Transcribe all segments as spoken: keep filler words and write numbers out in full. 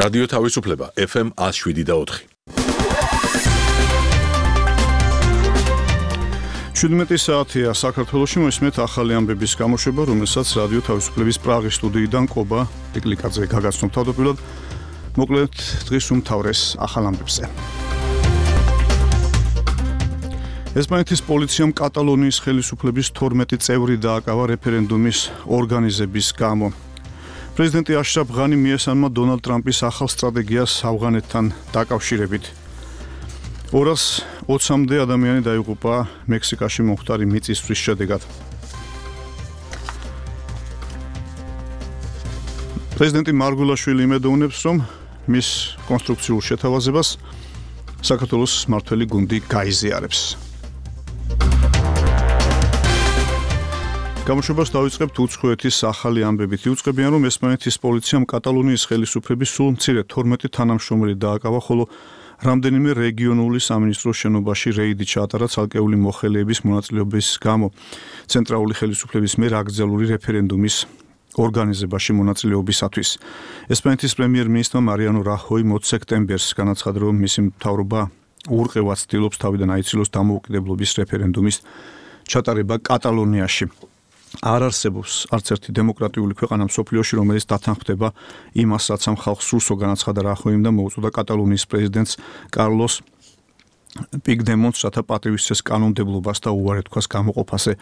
რადიო თავისუფლება ეფ ემ one oh seven და four. შვიდმეტი საათია საქართველოში მოისმენთ ახალი ამბების გამოშვება, რომელსაც რადიო თავისუფლების პრაღის სტუდიიდან კობა პიკლიკაძე გაგაცნობ თავდაპირველად. მოკლედ დღის უმთავრეს ახალ ამბებზე. ესპანეთის პოლიციამ კატალონიის ხელისუფლების თორმეტი წევრი დააკავა რეფერენდუმის ორგანიზების გამო. პრეზიდენტი აშრაფ ღანი მიესალმა დონალდ ტრამპის ახალ სტრატეგიას ავღანეთთან დაკავშირებით. ორას ოცამდე ადამიანი დაიღუპა მექსიკაში მომხდარი მიწისძვრის შედეგად. პრეზიდენტი მარგულაშვილი იმედოვნებს, რომ მის კონსტრუქციულ შეთავაზებას საქართველოს მმართველი გუნდი გაიზიარებს. გამოშვებას დავიწყებთ უცხოეთის ახალი ამბებით. იუწყებიან, რომ ესპანეთის პოლიციამ კატალონიის ხელისუფლების სულ მცირე თორმეტი თანამშრომელი დააკავა, ხოლო რამდენიმე რეგიონული სამინისტროს შენობაში რეიდი ჩაატარა ცალკეული მოხელეების მონაწილეობის გამო ცენტრალური ხელისუფლების მიერ აკრძალული რეფერენდუმის ორგანიზებაში მონაწილეობისათვის. ესპანეთის პრემიერ-მინისტრმა მარიანო რაჰოიმ ოც სექტემბერს განაცხადა, რომ მისი მთავრობა ურყევად ცდილობს თავიდან აიცილოს დამოუკიდებლობის რეფერენდუმის ჩატარება კატალონიაში. არ არსებობს არც ერთი დემოკრატიული ქვეყანა მსოფლიოში, რომელიც დათანხმდება იმას, რაც ამ ხალხს სურსო, განაცხადა რაჰოიმ და მოუწოდა კატალონიის პრეზიდენტს კარლოს პიგდემონტს, რათა პატივისცეს კანონმდებლობას და უარი თქვას გამოყოფაზე.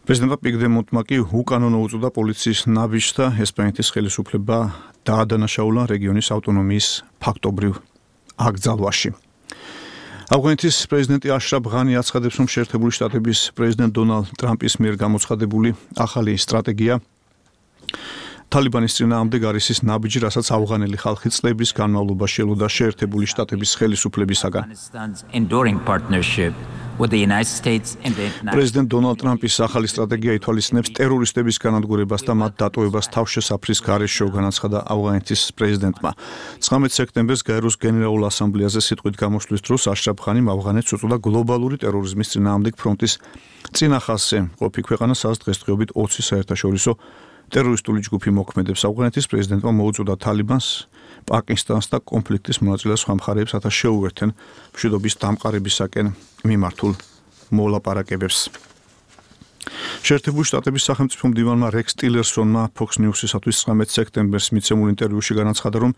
პრეზიდენტმა პიგდემონტმა კი უკანონო უწოდა პოლიციის ნაბიჯს და ესპანეთის ხელისუფლება დაადანაშაულა რეგიონის ავტონომიის ფაქტობრივ აკრძალვაში. ავღანეთის პრეზიდენტი აშრაფ ღანი აცხადებს, რომ შეერთებული შტატების პრეზიდენტ დონალდ ტრამპის მიერ გამოცხადებული ახალი სტრატეგია თალიბანის წინააღმდეგ არის ის ნაბიჯი, რასაც ავღანელი ხალხი წლების განმავლობაში ელოდა შეერთებული შტატების ხელისუფლებისაგან. პრეზიდენტ დონალდ ტრამპის ახალი სტრატეგია ითვალისწინებს ტერორისტების განადგურებას და მათ დატოვებას თავშესაფრის გარეშე, განაცხადა ავღანეთის პრეზიდენტმა. ცხრამეტ სექტემბერს გაეროს გენერალურ ასამბლეაზე სიტყვით გამოსვლის დროს აშრაფ ღანიმ ავღანეთს უწოდა გლობალური ტერორიზმის წინააღმდეგ ფრონტის წინახალხზე ყოფი ქვეყანა, სადაც დღესდღეობით ოცი საერთაშორისო ტერორისტული ჯგუფი მოქმედებს. ავღანეთის პრეზიდენტმა მოუწოდა თალიბანს, პაკისტანს და კონფლიქტის მონაწილე სხვა მხარეებს, რათა შეუერთენ მშვიდობის დამყარებისაკენ მიმართულ მოლაპარაკებებს. შეერთებული შტატების სახელმწიფო მდივანმა რექს ტილერსონმა Fox News-ისათვის ცხრამეტ სექტემბერს მიცემულ ინტერვიუში განაცხადა, რომ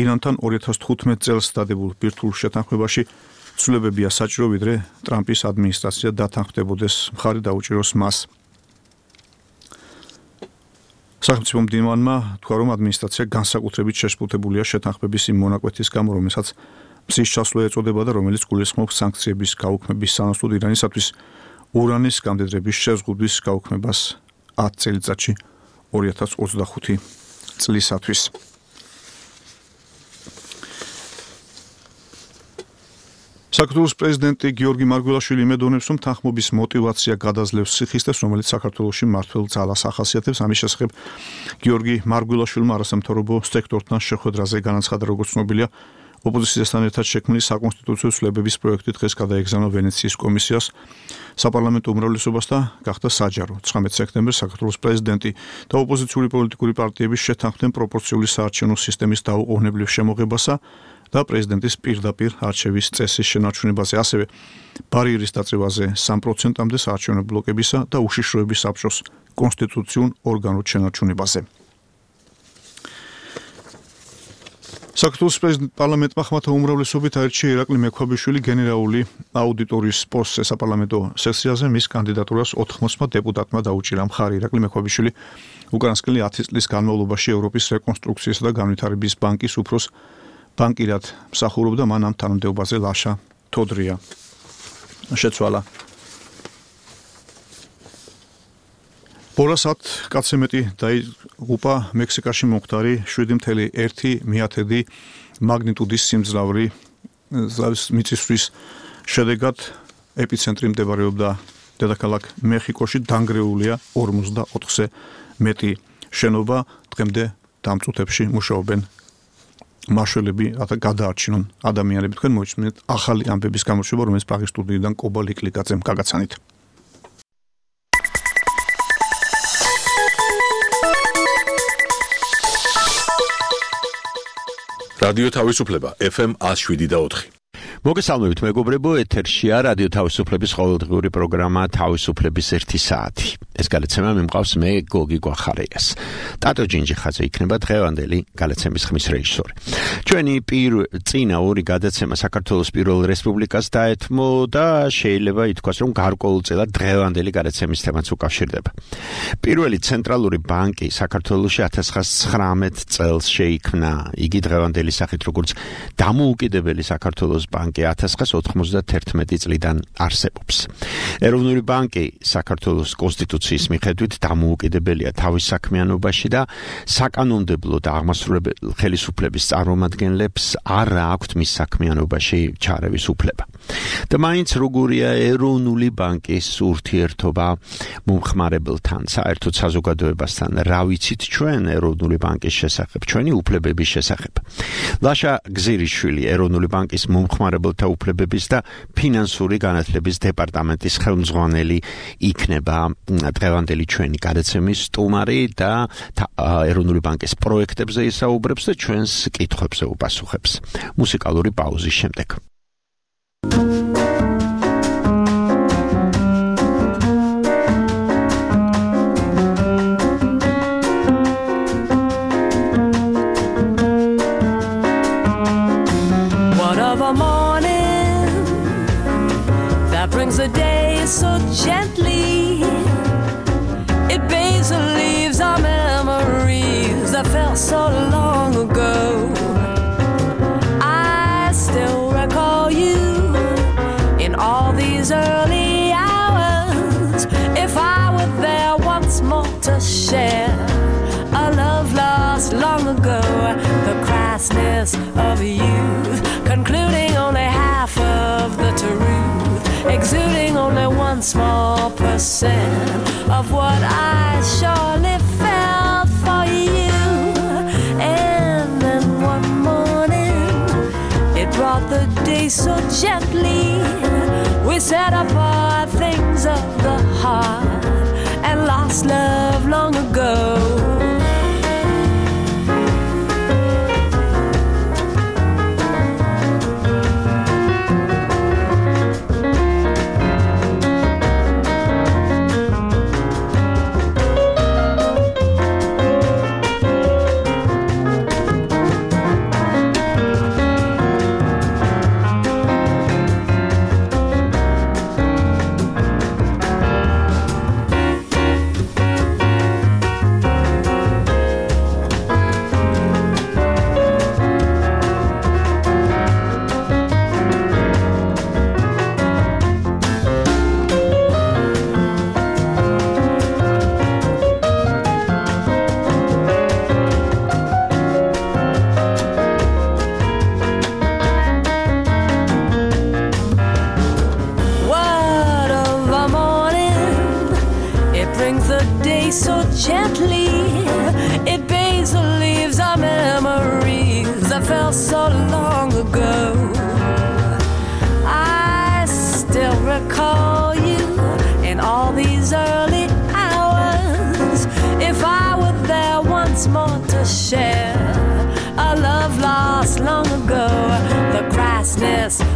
ირანთან ორი ათას თხუთმეტ წელს დადებულ ბირთვულ შეთანხმებაში ცვლილებებია საჭირო, ვიდრე ტრამპის ადმინისტრაცია დათანხმდებოდეს, მხარი დაუჭიროს მას. სახელმწიფო მდივანმა თქვა, რომ ადმინისტრაცია განსაკუთრებით შეშფოთებულია შეთანხმების იმ მონაკვეთის გამო, რომელსაც მზის ჩასვლა ეწოდება და რომელიც გულისხმობს სანქციების გაუქმების სანაცვლოდ ირანისათვის ურანის გამდიდრების შეზღუდვის გაუქმებას ათ წელიწადში ორი ათას ოცდახუთი წლისათვის. საქართველოს პრეზიდენტი გიორგი მარგველაშვილი იმედოვნებს, რომ თანხმობის მოტივაცია გადაძლევს სიხისტეს, რომელიც საქართველოში მმართველ ძალას ახასიათებს. ამის შესახებ გიორგი მარგველაშვილმა არასამთავრობო სექტორთან შეხვედრაზე განაცხადა, როგორც ცნობილია, ოპოზიციასთან ერთად შექმნილი საკონსტიტუციო ცვლილებების პროექტი დღეს გადაეგზავნა ვენეციის კომისიას საპარლამენტო უმრავლესობას და გახდა საჯარო. ცხრამეტ სექტემბერს საქართველოს პრეზიდენტი და ოპოზიციური პოლიტიკური პარტიების შეთანხმდნენ პროპორციული საარჩევნო სისტემის დაუყოვნებლივ შემოღებასა და პრეზიდენტის პირდაპირ არჩევის წესის შენარჩუნებაზე, ასევე ბარიერის დაწევაზე სამ პროცენტამდე საარჩევნო ბლოკებისა და უშიშროების საბჭოს კონსტიტუციურ ორგანოდ შენარჩუნებაზე. საქართველოს პარლამენტმა ხმათა უმრავლესობით აირჩია ირაკლი მექვაბიშვილი გენერალური აუდიტორის პოსტზე. საპარლამენტო სესიაზე მის კანდიდატურას ოთხმოცმა დეპუტატმა დაუჭირა მხარი. ირაკლი მექვაბიშვილი უკანასკნელი ათი წლის განმავლობაში ევროპის რეკონსტრუქციისა და განვითარების ბანკის უფროს ბანკირად მსახურობდა, მან ამ თანამდებობაზე ლაშა თოდრია შეცვალა. ორას ათ კაცზე მეტი დაიღუპა მექსიკაში მომხდარი შვიდი წუთი ერთი მეათედი მაგნიტუდის სიმძლავრი მიწისძვრის შედეგად. ეპიცენტრი მდებარეობდა დედაქალაქ მეხიკოში, დანგრეულია ორმოცდაოთხზე მეტი შენობა. დღემდე დამწუთებში მუშაობენ მაშველები, რათა გადაარჩინონ ადამიანები. თქვენ მოიწმინეთ ახალი ამბების გამოშვება, რომელიც პრაღის სტუდიიდან კობა ლიკლიკაძემ გაგაცანით. რადიო თავისუფლება F M one oh seven და four. მოგესალმებით მეგობრებო, ეთერშია რადიო თავისუფლების ყოველდღიური პროგრამა თავისუფლების ერთი საათი. ეს გადაცემა მიმყავს მე გოგი გვახარიას. ტატო ჯინჯიხაძე იქნება დღევანდელი გადაცემის ხმის რეჟისორი. ჩვენი წინა ორი გადაცემა საქართველოს პირველ რესპუბლიკას დაეთმო და შეიძლება ითქვას, რომ გარკვეულწილად დღევანდელი გადაცემის თემაც უკავშირდება. პირველი ცენტრალური ბანკი საქართველოში one thousand nine hundred წელს შეიქმნა. იგი დღევანდელი სახით როგორც დამოუკიდებელი საქართველოს ბანკი one thousand ninety-one წლიდან არსებობს. ეროვნული ბანკი საქართველოს კონსტიტუციის მიხედვით დამოუკიდებელია თავის საქმიანობაში და საკანონმდებლო და აღმასრულებელი ხელისუფლების წარმომადგენლებს არ აქვთ მის საქმიანობაში ჩარევის უფლება. და მაინც როგორია ეროვნული ბანკის ურთიერთობა მომხმარებელთან, საერთოდ საზოგადოებასთან, რა ვიცით ჩვენ ეროვნული ბანკის შესახებ, ჩვენი უფლებების შესახებ. ლაშა გზირიშვილი ეროვნული ბანკის მომხმარებელთა უფლებების და ფინანსური განათლების დეპარტამენტის ხელმძღვანელი იქნება დღევანდელი ჩვენი გადაცემის სტუმარი და ეროვნული ბანკის პროექტებზე ისაუბრებს და ჩვენს კითხვებზე უპასუხებს. მუსიკალური პაუზის შემდეგ. Brings the day so gently. It bathes and leaves our memories that felt so long ago. I still recall you in all these early hours. If I were there once more to share a love lost long ago, the crassness of youth, concluding only half of the truth, exuding only one small percent of what I surely felt for you. And then one morning, it brought the day so gently. We set apart things of the heart and lost love long ago.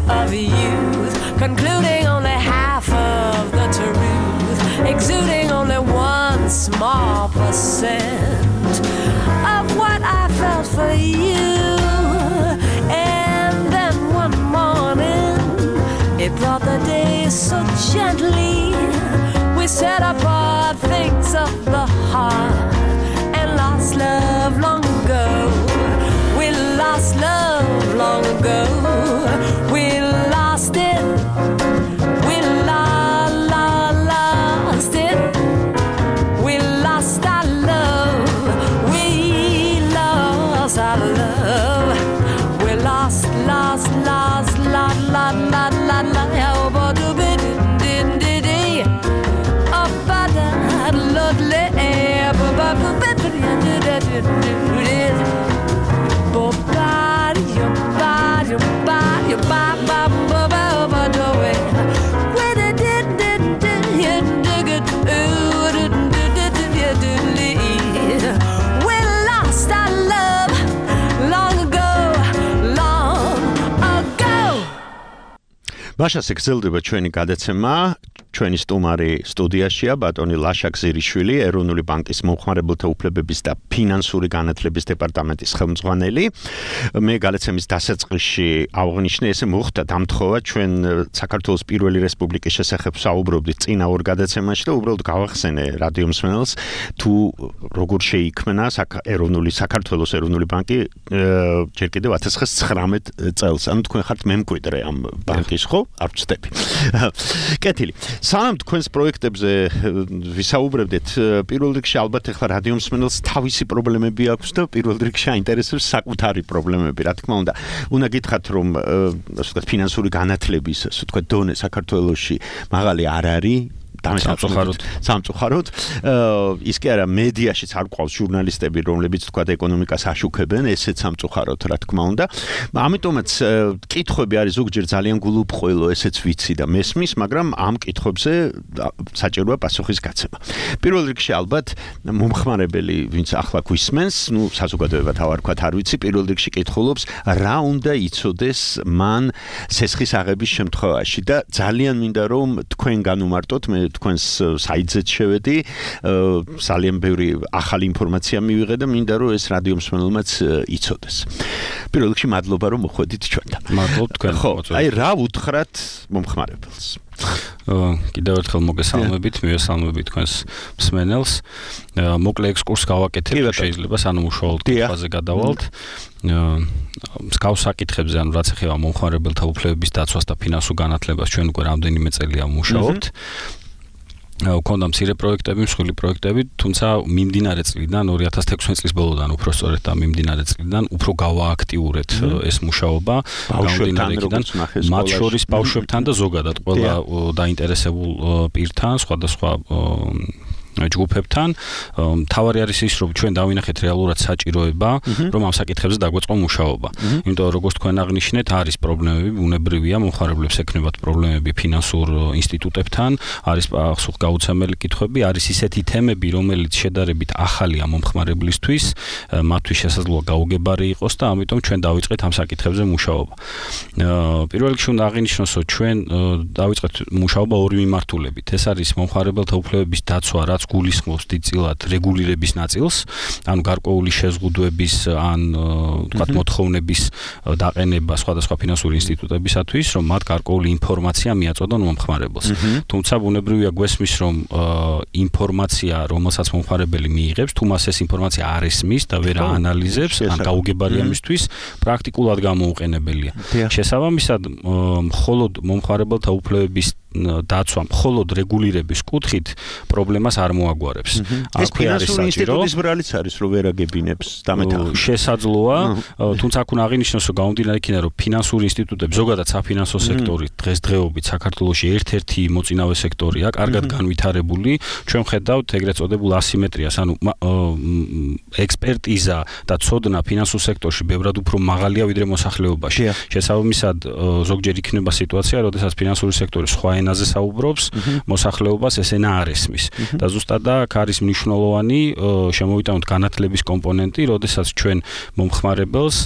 Of youth, concluding only half of the truth, exuding only one small percent of what I felt for you. And then one morning, it brought the day so gently. We set apart things of the heart and lost love long ago. We lost love long ago. We lost it. We la la lost it. We lost our love. We lost our love. We lost, lost, lost, la la la la la. How about the bit din din din? Up by that lovely air, ba ba ba ba ba ba ba ba ba. Body, your body, your body, your body, ba ba ba ba ba. When it did did did did did did did did. We lost our love long ago. მაშას ეგზელდება ჩვენი გადაცემა, ჩვენი სტუმარი სტუდიაშია ბატონი ლაშა გზირიშვილი, ეროვნული ბანკის მომხმარებელთა უფლებების და ფინანსური განათლების დეპარტამენტის ხელმძღვანელი. მე გადაცემის დასაწყისში აღნიშნე, ესე მოხდა დამთხოვა ჩვენ საქართველოს პირველი რესპუბლიკის შესახებ საუბრობდით წინა ორ გადაცემაში და უბრალოდ გავახსენე რადიო მსმენელს თუ როგორ შეიქმნა ეროვნული საქართველოს ეროვნული ბანკი ჯერ კიდევ ათას ცხრამეტ წელს. ანუ თქვენ ხართ მემკვიდრე ამ ბანკის, ხო? არ ვცდები. კეთილი. სანამ თქვენს პროექტებზე ვისაუბრებდით, პირველ რიგში ალბათ ახლა რადიო მსმენელს თავისი პრობლემები აქვს და პირველ რიგში აინტერესებს საკუთარი პრობლემები, რა თქმა უნდა. უნდა გითხრათ, რომ ასე ვთქვათ, ფინანსური განათლების, ასე ვთქვათ, დონე საქართველოში მაღალი არ არის. სამწუხაროდ სამწუხაროდ ის კი არა მედიაშიც არ ყავს ჟურნალისტები რომლებიც თქვა ეკონომიკას აშუქებენ ესეც სამწუხაროდ რა თქმა უნდა ამიტომაც კითხვები არის ზოგჯერ ძალიან გულუბრყვილო ესეც ვიცი და მესმის მაგრამ ამ კითხვებზე საჭიროა პასუხის გაცემა პირველ რიგში ალბათ მომხმარებელი ვინც ახლა გვისმენს ნუ საზოგადოებად ავარ ვქოთ არ ვიცი პირველ რიგში კითხულობს რა უნდა იცოდეს მან სესხის აღების შემთხვევაში და ძალიან მინდა რომ თქვენ განუმარტოთ მე თქვენს საიტზე შევედი, ძალიან ბევრი ახალი ინფორმაცია მივიღე და მინდა რომ ეს რადიო მსმენელმაც იცოდეს. პირველ რიგში მადლობა რომ მოხვედით ჩვენთან. მადლობ თქვენ. ხო, აი რა უთხრათ მომხმარებელს? კიდევ ერთხელ მოგესალმებით, მივესალმებით თქვენს მსმენელს. მოკლე ექსკურსს გავაკეთებ, შეიძლება სანამ უშუალოდ კითხვაზე გადავალთ. მსგავს საკითხებზე, ანუ რაც ეხება მომხმარებელთა უფლებების დაცვას და ფინანსურ განათლებას, ჩვენ უკვე რამდენიმე წელია ვმუშაობთ. ვქონდა მცირე პროექტები, მსხვილი პროექტები, თუმცა მიმდინარე წლიდან ორი ათას თექვსმეტ წლის ბოლოდან უფრო სწორედ და მიმდინარე წლიდან უფრო გავააქტიურეთ ეს მუშაობა, გამომდინარე იქიდან მათ შორის ბავშვებთან და ზოგადად ყველა დაინტერესებულ პირთან, სხვადასხვა ჯგუფებთან. თავარი არის ის, რომ ჩვენ დავინახეთ რეალურად საჭიროება, რომ ამ საკითხებზე დაგვეწყო მუშაობა. იმიტომ რომ როგორც თქვენ აღნიშნეთ, არის პრობლემები, ბუნებრივია, მომხმარებლებს ექნებათ პრობლემები ფინანსურ ინსტიტუტებთან, არის პასუხგაუცემელი კითხვები, არის ისეთი თემები, რომელიც შედარებით ახალია მომხმარებლისთვის, მათთვის შესაძლოა გაუგებარი იყოს და ამიტომ ჩვენ დავიწყეთ ამ საკითხებზე მუშაობა. პირველ რიგში უნდა აღინიშნოს, რომ ჩვენ დავიწყეთ მუშაობა ორი მიმართულებით. ეს არის მომხმარებელთა უფლებების დაცვა, რაც გულისხმობს დიდწილად რეგულირების ნაწილს, ანუ გარკვეული შეზღუდვების ან თქვათ მოთხოვნების დაყენება სხვადასხვა ფინანსური ინსტიტუტებისათვის, რომ მათ გარკვეული ინფორმაცია მიაწოდონ მომხმარებელს. თუმცა ბუნებრივია გვესმის, რომ ინფორმაცია, რომელსაც მომხმარებელი მიიღებს, თუ მას ეს ინფორმაცია არ ესმის და ვერ აანალიზებს, ან გაუგებარია მისთვის, პრაქტიკულად გამოუყენებელია. შესაბამისად, მხოლოდ მომხმარებელთა უფლებების დაცვა მხოლოდ რეგულირების კუთხით პრობლემას არ მოაგვარებს. ეს ფინანსური ინსტიტუტის ბრალიც არის, რომ ვერ აგებინებს დამეთახმებით. შესაძლოა, თუმცა აქ უნდა აღინიშნოს, რომ გამომდინარე იქიდან, რომ ფინანსური ინსტიტუტები, ზოგადად საფინანსო სექტორი დღესდღეობით საქართველოში ერთ-ერთი მოწინავე სექტორია, კარგად განვითარებული. ჩვენ ვხედავთ ეგრეთ წოდებულ ასიმეტრიას, ანუ ექსპერტიზა და ცოდნა ფინანსურ სექტორში ბევრად უფრო მაღალია ვიდრე მოსახლეობაში. შესაბამისად, ზოგჯერ იქნება სიტუაცია, როდესაც ფინანსური სექტორი სხვა ენაზე საუბრობს, მოსახლეობას ეს ენა არ ესმის. და ზუსტად აქ არის მნიშვნელოვანი შემოვიტანოთ განათლების კომპონენტი, როდესაც ჩვენ მომხმარებელს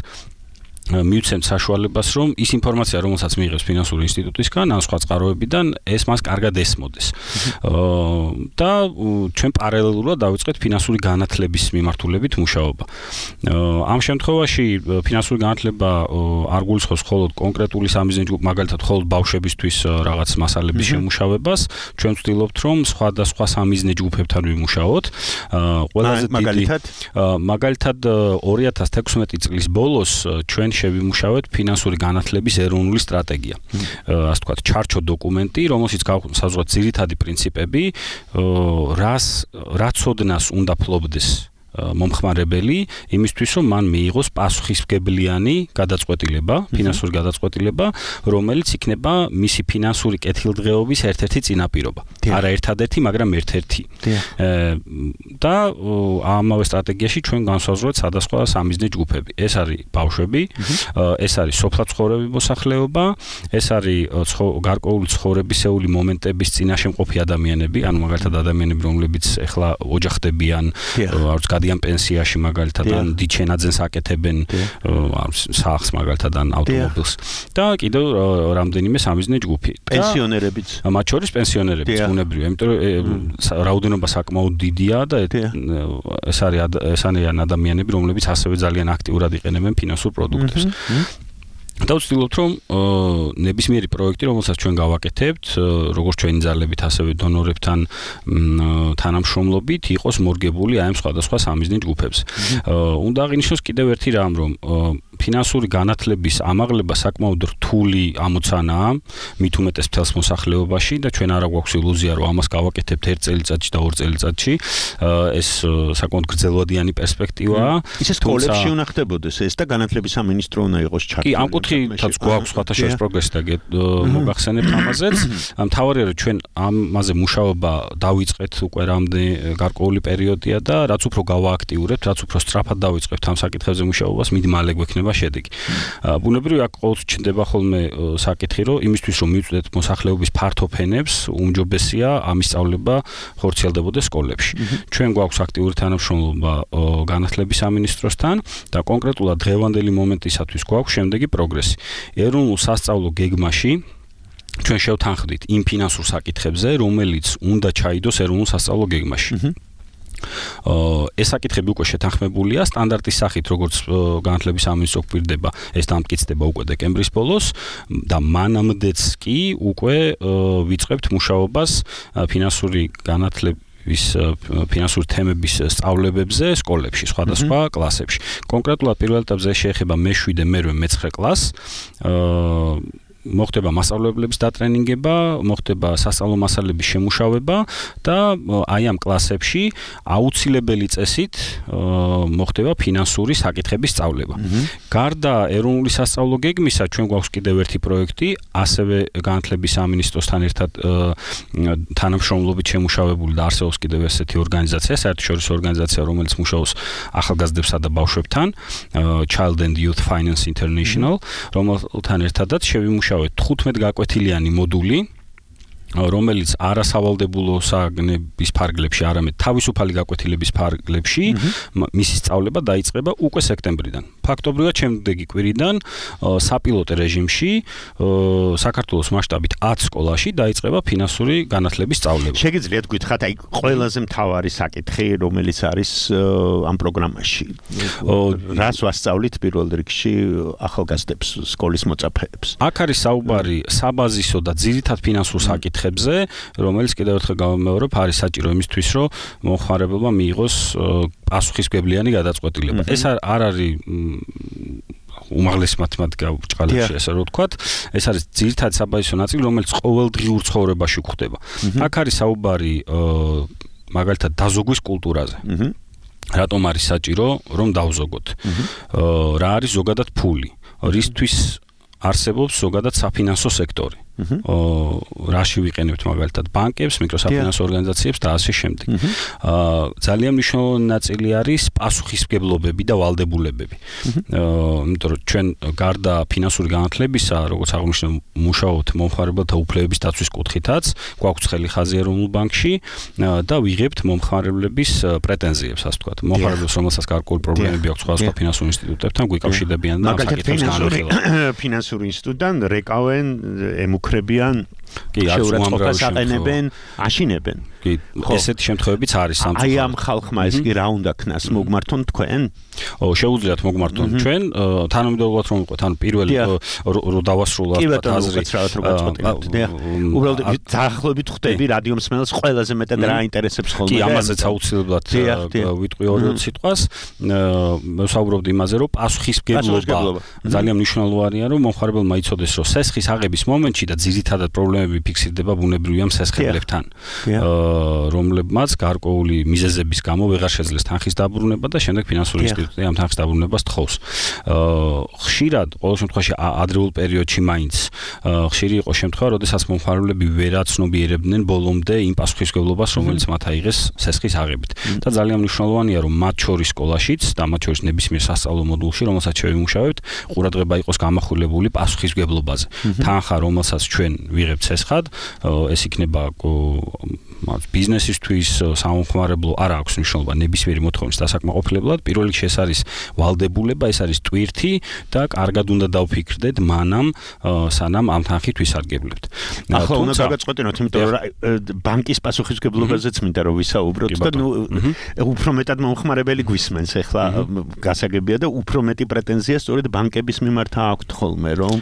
მივცემთ საშუალებას, რომ ის ინფორმაცია, რომელსაც მიიღებს ფინანსური ინსტიტუტისგან, ან სხვა წყაროებიდან, ეს მას კარგად ესმოდეს. და ჩვენ პარალელურად დავიწყეთ ფინანსური განათლების მიმართულებით მუშაობა. ამ შემთხვევაში ფინანსური განათლება არ გულისხმობს მხოლოდ კონკრეტული სამიზნე ჯგუფ, მაგალითად, მხოლოდ ბავშვებისთვის რაღაც მასალების შემუშავებას. ჩვენ ვცდილობთ, რომ სხვადასხვა სამიზნე ჯგუფებთან ვიმუშაოთ. ყველაზე დიდი მაგალითად, მაგალითად ორი ათას თექვსმეტი წლის ბოლოს ჩვენ შევიმუშავეთ ფინანსური განათლების ეროვნული სტრატეგია. ასე ვთქვათ, ჩარჩო დოკუმენტი, რომელშიც გავსაზღვროთ ძირითადი პრინციპები, რას რა ცოდნას უნდა ფლობდეს მომხმარებელი იმისთვის, რომ მან მიიღოს პასუხისმგებლიანი გადაწყვეტილება, ფინანსური გადაწყვეტილება, რომელიც იქნება მისი ფინანსური კეთილდღეობის ერთ-ერთი წინაპირობა. არა ერთადერთი, მაგრამ ერთ-ერთი. და ამავე სტრატეგიაში ჩვენ განსაზღვრეთ სხვადასხვა სამიზნე ჯგუფები. ეს არის ბავშვები, ეს არის სოფლაცხოვრები მოსახლეობა, ეს არის გარკვეული ცხოვრებისეული მომენტების წინაშე მყოფი ადამიანები, ანუ მაგალითად ადამიანები, რომლებიც ეხლა ოჯახდებიან, არც გადიან პენსიაში მაგალითად ან დიდ შენაძენს აკეთებენ სახლს მაგალითად ან ავტომობილს და კიდევ რამდენიმე სამიზნე ჯგუფი პენსიონერებიც მათ შორის პენსიონერებიც უნებრივია იმიტომ რომ რაოდენობა საკმაოდ დიდია და ეს არის ეს არიან ადამიანები რომლებიც ასევე ძალიან აქტიურად იყენებენ ფინანსურ პროდუქტებს და ვცდილობთ რომ ნებისმიერი პროექტი რომელსაც ჩვენ გავაკეთებთ როგორც ჩვენი ძალებით ასევე დონორებთან თანამშრომლობით იყოს მორგებული აი ამ სხვადასხვა სამიზნე ჯგუფებზე უნდა აღინიშნოს კიდევ ერთი რამ რომ ფინანსური განათლების ამაღლება საკმაოდ რთული ამოცანაა მით უმეტეს მთელს მოსახლეობაში და ჩვენ არა გვაქვს ილუზია რომ ამას გავაკეთებთ ერთ წელიწადში და ორ წელიწადში ეს საკმაოდ გრძელვადიანი პერსპექტივაა ისე სკოლებში უნდა ხდებოდეს ეს და განათლების სამინისტრო უნდა იყოს ჩართული კი ამ კუთხითაც გვაქვს სხვათა შორის პროგრესი და მოგახსენებთ ამაზეც მთავარია რომ ჩვენ ამაზე მუშაობა დავიწყეთ უკვე რამდენი გარკვეული პერიოდია და რაც უფრო გავააქტიურებთ რაც უფრო სწრაფად დავიწყებთ ამ საკითხებზე მუშაობას მით მალე გვექნება შედეგი. ბუნებრივია ყოველთვის ჩნდება ხოლმე საკითხი, რომ იმისთვის რომ მივწვდეთ მოსახლეობის ფართო ფენებს, უმჯობესია ამის სწავლება ხორციელდებოდეს სკოლებში. ჩვენ გვაქვს აქტიური თანამშრომლობა განათლების სამინისტროსთან და კონკრეტულად დღევანდელი მომენტისათვის გვაქვს შემდეგი პროგრესი. ეროვნულ სასწავლო გეგმაში ჩვენ შევთანხმდით იმ ფინანსურ საკითხებზე, რომელიც უნდა ჩაიდოს ეროვნულ სასწავლო გეგმაში. ეს საკითხები უკვე შეთანხმებულია სტანდარტის სახით, როგორც განათლების სამინისტრო გვირდება, ეს დამტკიცდება უკვე დეკემბრის ბოლოს და მანამდეც კი უკვე ვიწყებთ მუშაობას ფინანსური განათლების ფინანსური თემების სწავლებებზე სკოლებში, სხვადასხვა კლასებში. კონკრეტულად პირველ ეტაპზე შეეხება მეშვიდე, მერვე, მეცხრე კლასს. მოხდება მასწავლებლების დატრენინგება, მოხდება სასწავლო მასალების შემუშავება და აი ამ კლასებში აუცილებელი წესით მოხდება ფინანსური საკითხების სწავლება. გარდა ეროვნული სასწავლო გეგმისა, ჩვენ გვაქვს კიდევ ერთი პროექტი, ასევე განათლების სამინისტროსთან ერთად თანამშრომლობით შემუშავებული და არსებობს კიდევ ესეთი ორგანიზაცია, საერთაშორისო ორგანიზაცია, რომელიც მუშაობს ახალგაზრდებსა და ბავშვებთან, Child and Youth Finance International, რომელთან ერთადაც შევიმუშავებთ თხუთმეტ გაკვეთილიანი მოდული, რომელიც არასავალდებულო საგნების ფარგლებში, არამედ თავისუფალი გაკვეთილების ფარგლებში მისი სწავლება დაიწყება უკვე სექტემბრიდან. ფაქტობრივად შემდეგი კვირიდან საპილოტო რეჟიმში საქართველოს მასშტაბით ათ სკოლაში დაიწყება ფინანსური განათლების სწავლება. შეგიძლიათ გითხრათ, აი ყველაზე მთავარი საკითხი, რომელიც არის ამ პროგრამაში. რას ვასწავლით პირველ რიგში ახალგაზრდებს, სკოლის მოწაფეებს? აქ არის საუბარი საბაზისო და ძირითად ფინანსურ საკითხებზე, რომელიც კიდევ ერთხელ გავამეორებ, არის საჭირო იმისთვის, რომ მომხმარებელმა მიიღოს პასუხისმგებლიანი გადაწყვეტილება. ეს არ არის უმაღლესი მათემატიკა ბრჭყალებში, ესე რომ ვთქვათ, ეს არის ძირითადად საბაზისო ნაწილი, რომელიც ყოველდღიურ ცხოვრებაში გვხდება. აქ არის საუბარი მაგალითად დაზოგვის კულტურაზე. რატომ არის საჭირო, რომ დავზოგოთ? რა არის ზოგადად ფული? რისთვის არსებობს ზოგადად საფინანსო სექტორი? რაში ვიყენებთ მაგალითად ბანკებს, მიკროსაფინანსო ორგანიზაციებს და ასე შემდეგ. ძალიან მნიშვნელოვანი ნაწილი არის პასუხისმგებლობები და ვალდებულებები. იმიტომ რომ ჩვენ გარდა ფინანსური განათლებისა, როგორც აღნიშნე, მუშაობთ მომხმარებელთა უფლებების დაცვის კუთხითაც, გვაქვს ხელი ხაზი ეროვნულ ბანკში და ვიღებთ მომხმარებლების პრეტენზიებს, ასე ვთქვათ. მომხმარებლებს, რომელსაც გარკვეული პრობლემები აქვს სხვადასხვა ფინანსურ ინსტიტუტებთან, გვიკავშირდებიან და ამ საკითხებს განვიხილავთ. ფინანსური ინსტიტუტიდან რეკავენ ემუქრებიან შეურაცხყოფას აყენებენ, აშინებენ. კი, ესეთი შემთხვევებიც არის სამწუხაროდ. აი ამ ხალხმა ეს კი რა უნდა ქნას, მოგმართონ თქვენ? ო, შეუძლიათ მოგმართონ ჩვენ, თანამედროვეულად რომ ვიყოთ, ანუ პირველი რო დავასრულოთ აზრი. უბრალოდ დაახლოებით ხვდები რადიო მსმენელს ყველაზე მეტად რა ინტერესებს ხოლმე. კი, ამაზეც აუცილებლად ვიტყვი ორი-ორი სიტყვას. ვსაუბრობთ იმაზე, რომ პასუხისმგებლობა ძალიან მნიშვნელოვანია, რომ მომხმარებელმა იცოდეს, რომ სესხის აღების მომენტში და ძირითადად პრობლემები ფიქსირდება ბუნებრივია მსესხებლებთან. რომლებმაც გარკვეული მიზეზების გამო ვეღარ შეძლეს თანხის დაბრუნება და შემდეგ ფინანსური ინსტიტუტი ამ თანხის დაბრუნებას თხოვს. ხშირად, ყოველ შემთხვევაში ადრეულ პერიოდში მაინც ხშირი იყო შემთხვევა, როდესაც მომხმარებლები ვერაცნობიერებდნენ ბოლომდე იმ პასუხისმგებლობას, რომელიც მათ აიღეს სესხის აღებით. და ძალიან მნიშვნელოვანია, რომ მათ შორის სკოლაშიც და მათ შორის ნებისმიერ სასწავლო მოდულში, რომელსაც შევიმუშავებთ, ყურადღება იყოს გამახვილებული პასუხისმგებლობაზე. თანხა, რომელსაც ჩვენ ვიღებთ სესხად, ეს იქნება ბიზნესისთვის სამომხმარებლო არ აქვს მნიშვნელობა ნებისმიერი მოთხოვნის დასაკმაყოფილებლად. პირველ რიგში ეს არის ვალდებულება, ეს არის ტვირთი და კარგად უნდა დავფიქრდეთ მანამ სანამ ამ თანხით ვისარგებლებთ. ახლა უნდა გავაწყვეტინოთ, იმიტომ რომ ბანკის პასუხისმგებლობაზეც მინდა რომ ვისაუბროთ და ნუ უფრო მეტად მომხმარებელი გვისმენს ახლა გასაგებია და უფრო მეტი პრეტენზია სწორედ ბანკების მიმართ აქვთ ხოლმე, რომ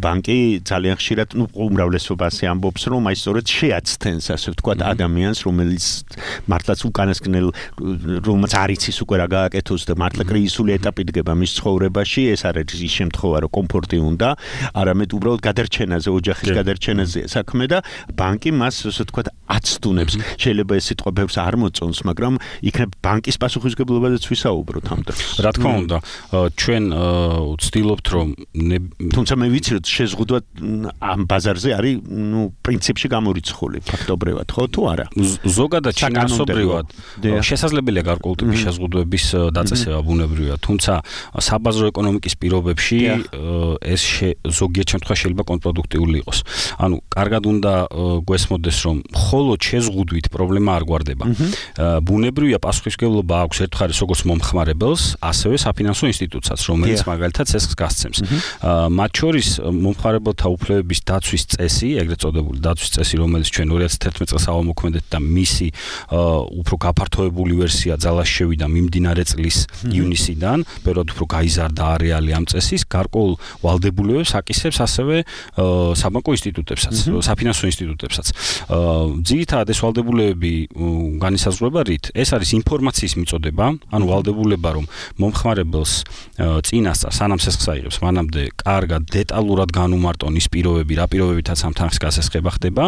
ბანკი ძალიან ხშირად ნუ უმრავლესობაზე ამბობს, რომ აი სწორედ შეაცდენს, ასე ვთქვათ, ადამიანს, რომელიც მართლაც უკანასკნელ რომელსაც არ იცის უკვე რა გააკეთოს და მართლა კრიზისული ეტაპი დგება მის ცხოვრებაში, ეს არ არის ის შემთხვევა, რომ კომფორტი უნდა, არამედ უბრალოდ გადარჩენაზე, ოჯახის გადარჩენაზე საქმე და ბანკი მას, ასე ვთქვათ, აცდუნებს. შეიძლება ეს სიტყვა ბევრს არ მოწონს, მაგრამ იქნებ ბანკის პასუხისმგებლობაზეც ვისაუბროთ ამ დროს. რა თქმა უნდა, ჩვენ ვცდილობთ, რომ თუმცა მე ვიცი, რომ შეზღუდვა ამ ბაზარზე არის, ნუ პრინციპში გამორიცხული ფაქტობრივად, ხო თუ არა? ზოგადად შინაარსობრივად შესაძლებელია გარკვეული ტიპის შეზღუდვების დაწესება ბუნებრივია, თუმცა საბაზრო ეკონომიკის პირობებში ეს ზოგიერთ შემთხვევაში შეიძლება კონტრპროდუქტიული იყოს. ანუ კარგად უნდა გვესმოდეს, რომ მხოლოდ შეზღუდვით პრობლემა არ გვარდება. ბუნებრივია პასუხისმგებლობა აქვს ერთხელ როგორც მომხმარებელს, ასევე საფინანსო ინსტიტუტსაც, რომელიც მაგალითად ცესხს გასცემს. მათ შორის მომხმარებელთა უფლებების დაცვის წესი, ეგრეთ წოდებული დაცვის წესი, რომელიც ჩვენ ორი ათას თერთმეტ წელს ავამოქმედეთ და მისი უფრო გაფართოებული ვერსია ძალაში შევიდა მიმდინარე წლის ივნისიდან, ბევრად უფრო გაიზარდა არეალი ამ წესის, გარკვეულ ვალდებულებებს აკისრებს ასევე საბანკო ინსტიტუტებსაც, საფინანსო ინსტიტუტებსაც. ძირითადად ეს ვალდებულებები განისაზღვრება რით? ეს არის ინფორმაციის მიწოდება, ანუ ვალდებულება, რომ მომხმარებელს წინასწარ სანამ სესხს აიღებს, მანამდე კარგად დეტალურად განუმარტონ ის პირობები, რა პირობებითაც ამ თანხის გასესხება ხდება.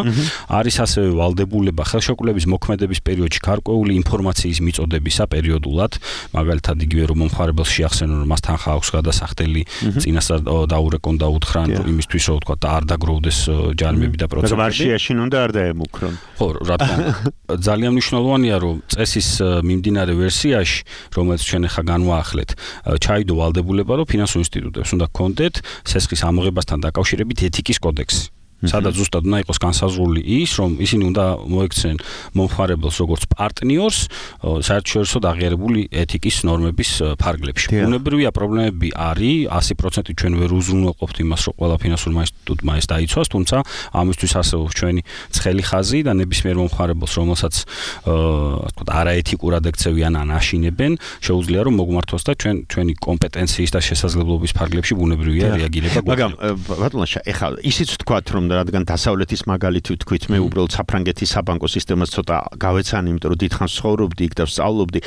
არის ასევე ვალდებულება ხელშეკრულების მოქმედების პერიოდში გარკვეული ინფორმაციის მიწოდებისა პერიოდულად, მაგალითად იგივე რომ მომხმარებელს შეახსენონ, რომ მას თანხა აქვს გადასახდელი, წინასწარ დაურეკონ და უთხრან იმისთვის, რომ თქვა და არ დაგროვდეს ჯარიმები და პროცენტები. მაგრამ არ შეაშინონ და არ დაემუქრონ. ხო, რა თქმა უნდა. ძალიან მნიშვნელოვანია, რომ წესის მიმდინარე ვერსიაში, რომელიც ჩვენ ახლა განვაახლეთ, ჩაიდო ვალდებულება, რომ ფინანსურ ინსტიტუტებს უნდა გქონდეთ სესხის ამოღებასთან დაკავშირებით ეთიკის კოდექსი. სადაც ზუსტად უნდა იყოს განსაზღვრული ის, რომ ისინი უნდა მოექცნენ მომხმარებელს როგორც პარტნიორს საერთაშორისო აღიარებული ეთიკის ნორმების ფარგლებში. ბუნებრივია პრობლემები არის, ასი პროცენტი ჩვენ ვერ უზრუნველყოფთ იმას, რომ ყველა ფინანსურმა ინსტიტუტმა ეს დაიცვას, თუმცა ამისთვის არსებობს ჩვენი ცხელი ხაზი და ნებისმიერ მომხმარებელს, რომელსაც ასე ვთქვათ, არაეთიკურად ექცევიან ან აშინებენ, შეუძლია რომ მოგმართოს და ჩვენ ჩვენი კომპეტენციის და შესაძლებლობის ფარგლებში ბუნებრივია რეაგირება გვაქვს. მაგრამ ბატონაშა, ეხლა ისიც ვთქვათ, რომ რადგან დასავლეთის მაგალითი ვთქვით, მე უბრალოდ საფრანგეთის საბანკო სისტემას ცოტა გავეცანი, იმიტომ რომ დიდხანს ცხოვრობდი იქ და ვსწავლობდი.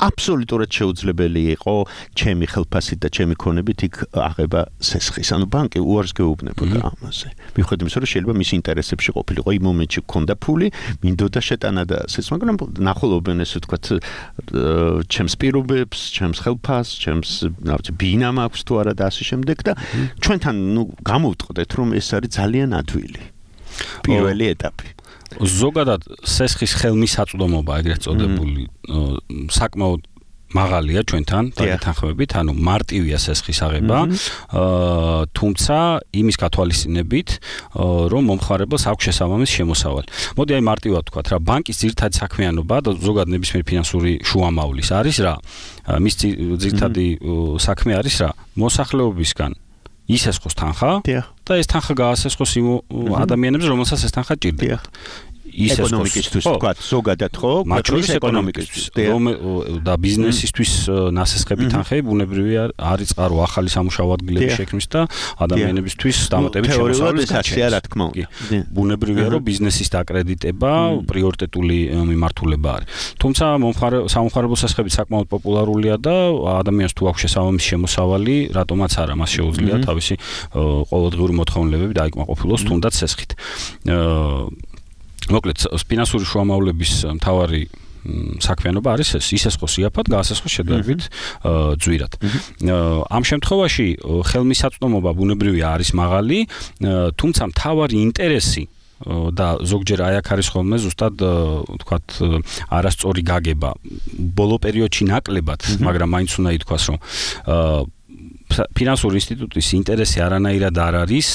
აბსოლუტურად შეუძლებელი იყო ჩემი ხელფასით და ჩემი ქონებით იქ აღება სესხის. ანუ ბანკი უარს გეუბნებოდა ამაზე. მიუხედავად იმისა, რომ შეიძლება მის ინტერესებში ყოფილიყო იმ მომენტში გქონდა ფული, მინდოდა შეტანა და სეს, მაგრამ ნახულობენ ესე ვთქვათ, ჩემს პირობებს, ჩემს ხელფასს, ჩემს ნავთი ბინა მაქვს თუ არა და ასე შემდეგ და ჩვენთან ნუ გამოვტყდეთ, რომ ეს არის ძალიან ადვილი პირველი ეტაპი. ზოგადად სესხის ხელმისაწვდომობა, ეგრეთ წოდებული, საკმაოდ მაღალია ჩვენთან დაგეთანხმებით, ანუ მარტივია სესხის აღება, თუმცა იმის გათვალისწინებით, რომ მომხმარებელს აქვს შესაბამისი შემოსავალი. მოდი აი მარტივად ვთქვათ რა, ბანკის ძირითადი საქმიანობა და ზოგადად ნებისმიერი ფინანსური შუამავლის არის რა, მის ძირითადი საქმე არის რა, მოსახლეობისგან ისესხოს თანხა და ეს თანხა გაასესხოს იმ ადამიანებს, რომელსაც ეს თანხა ჭირდება. ეკონომიკისთვის ვთქვათ, ზოგადად ხო? მათ შორის ეკონომიკისთვის და ბიზნესისთვის ნასესხები თანხები ბუნებრივია არის წყარო ახალი სამუშაო ადგილების შექმნის და ადამიანებისთვის დამატებით შემოსავლის გაჩენა, რა თქმა უნდა. ბუნებრივია, რომ ბიზნესის დაკრედიტება პრიორიტეტული მიმართულება არის. თუმცა სამომხმარებლო სესხები საკმაოდ პოპულარულია და ადამიანს თუ აქვს შესაბამისი შემოსავალი, რატომაც არა, მას შეუძლია თავისი ყოველდღიური მოთხოვნილებები დაიკმაყოფილოს თუნდაც სესხით. მოკლედ, ფინანსური შუამავლების მთავარი საქმიანობა არის ეს, ისესხოს იაფად, გაასესხოს შედარებით ძვირად. ამ შემთხვევაში ხელმისაწვდომობა ბუნებრივია არის მაღალი, თუმცა მთავარი ინტერესი და ზოგჯერ აი აქ არის ხოლმე ზუსტად ვთქვათ არასწორი გაგება. ბოლო პერიოდში ნაკლებად, მაგრამ მაინც უნდა ითქვას, რომ ფინანსური ინსტიტუტის ინტერესი არანაირად არ არის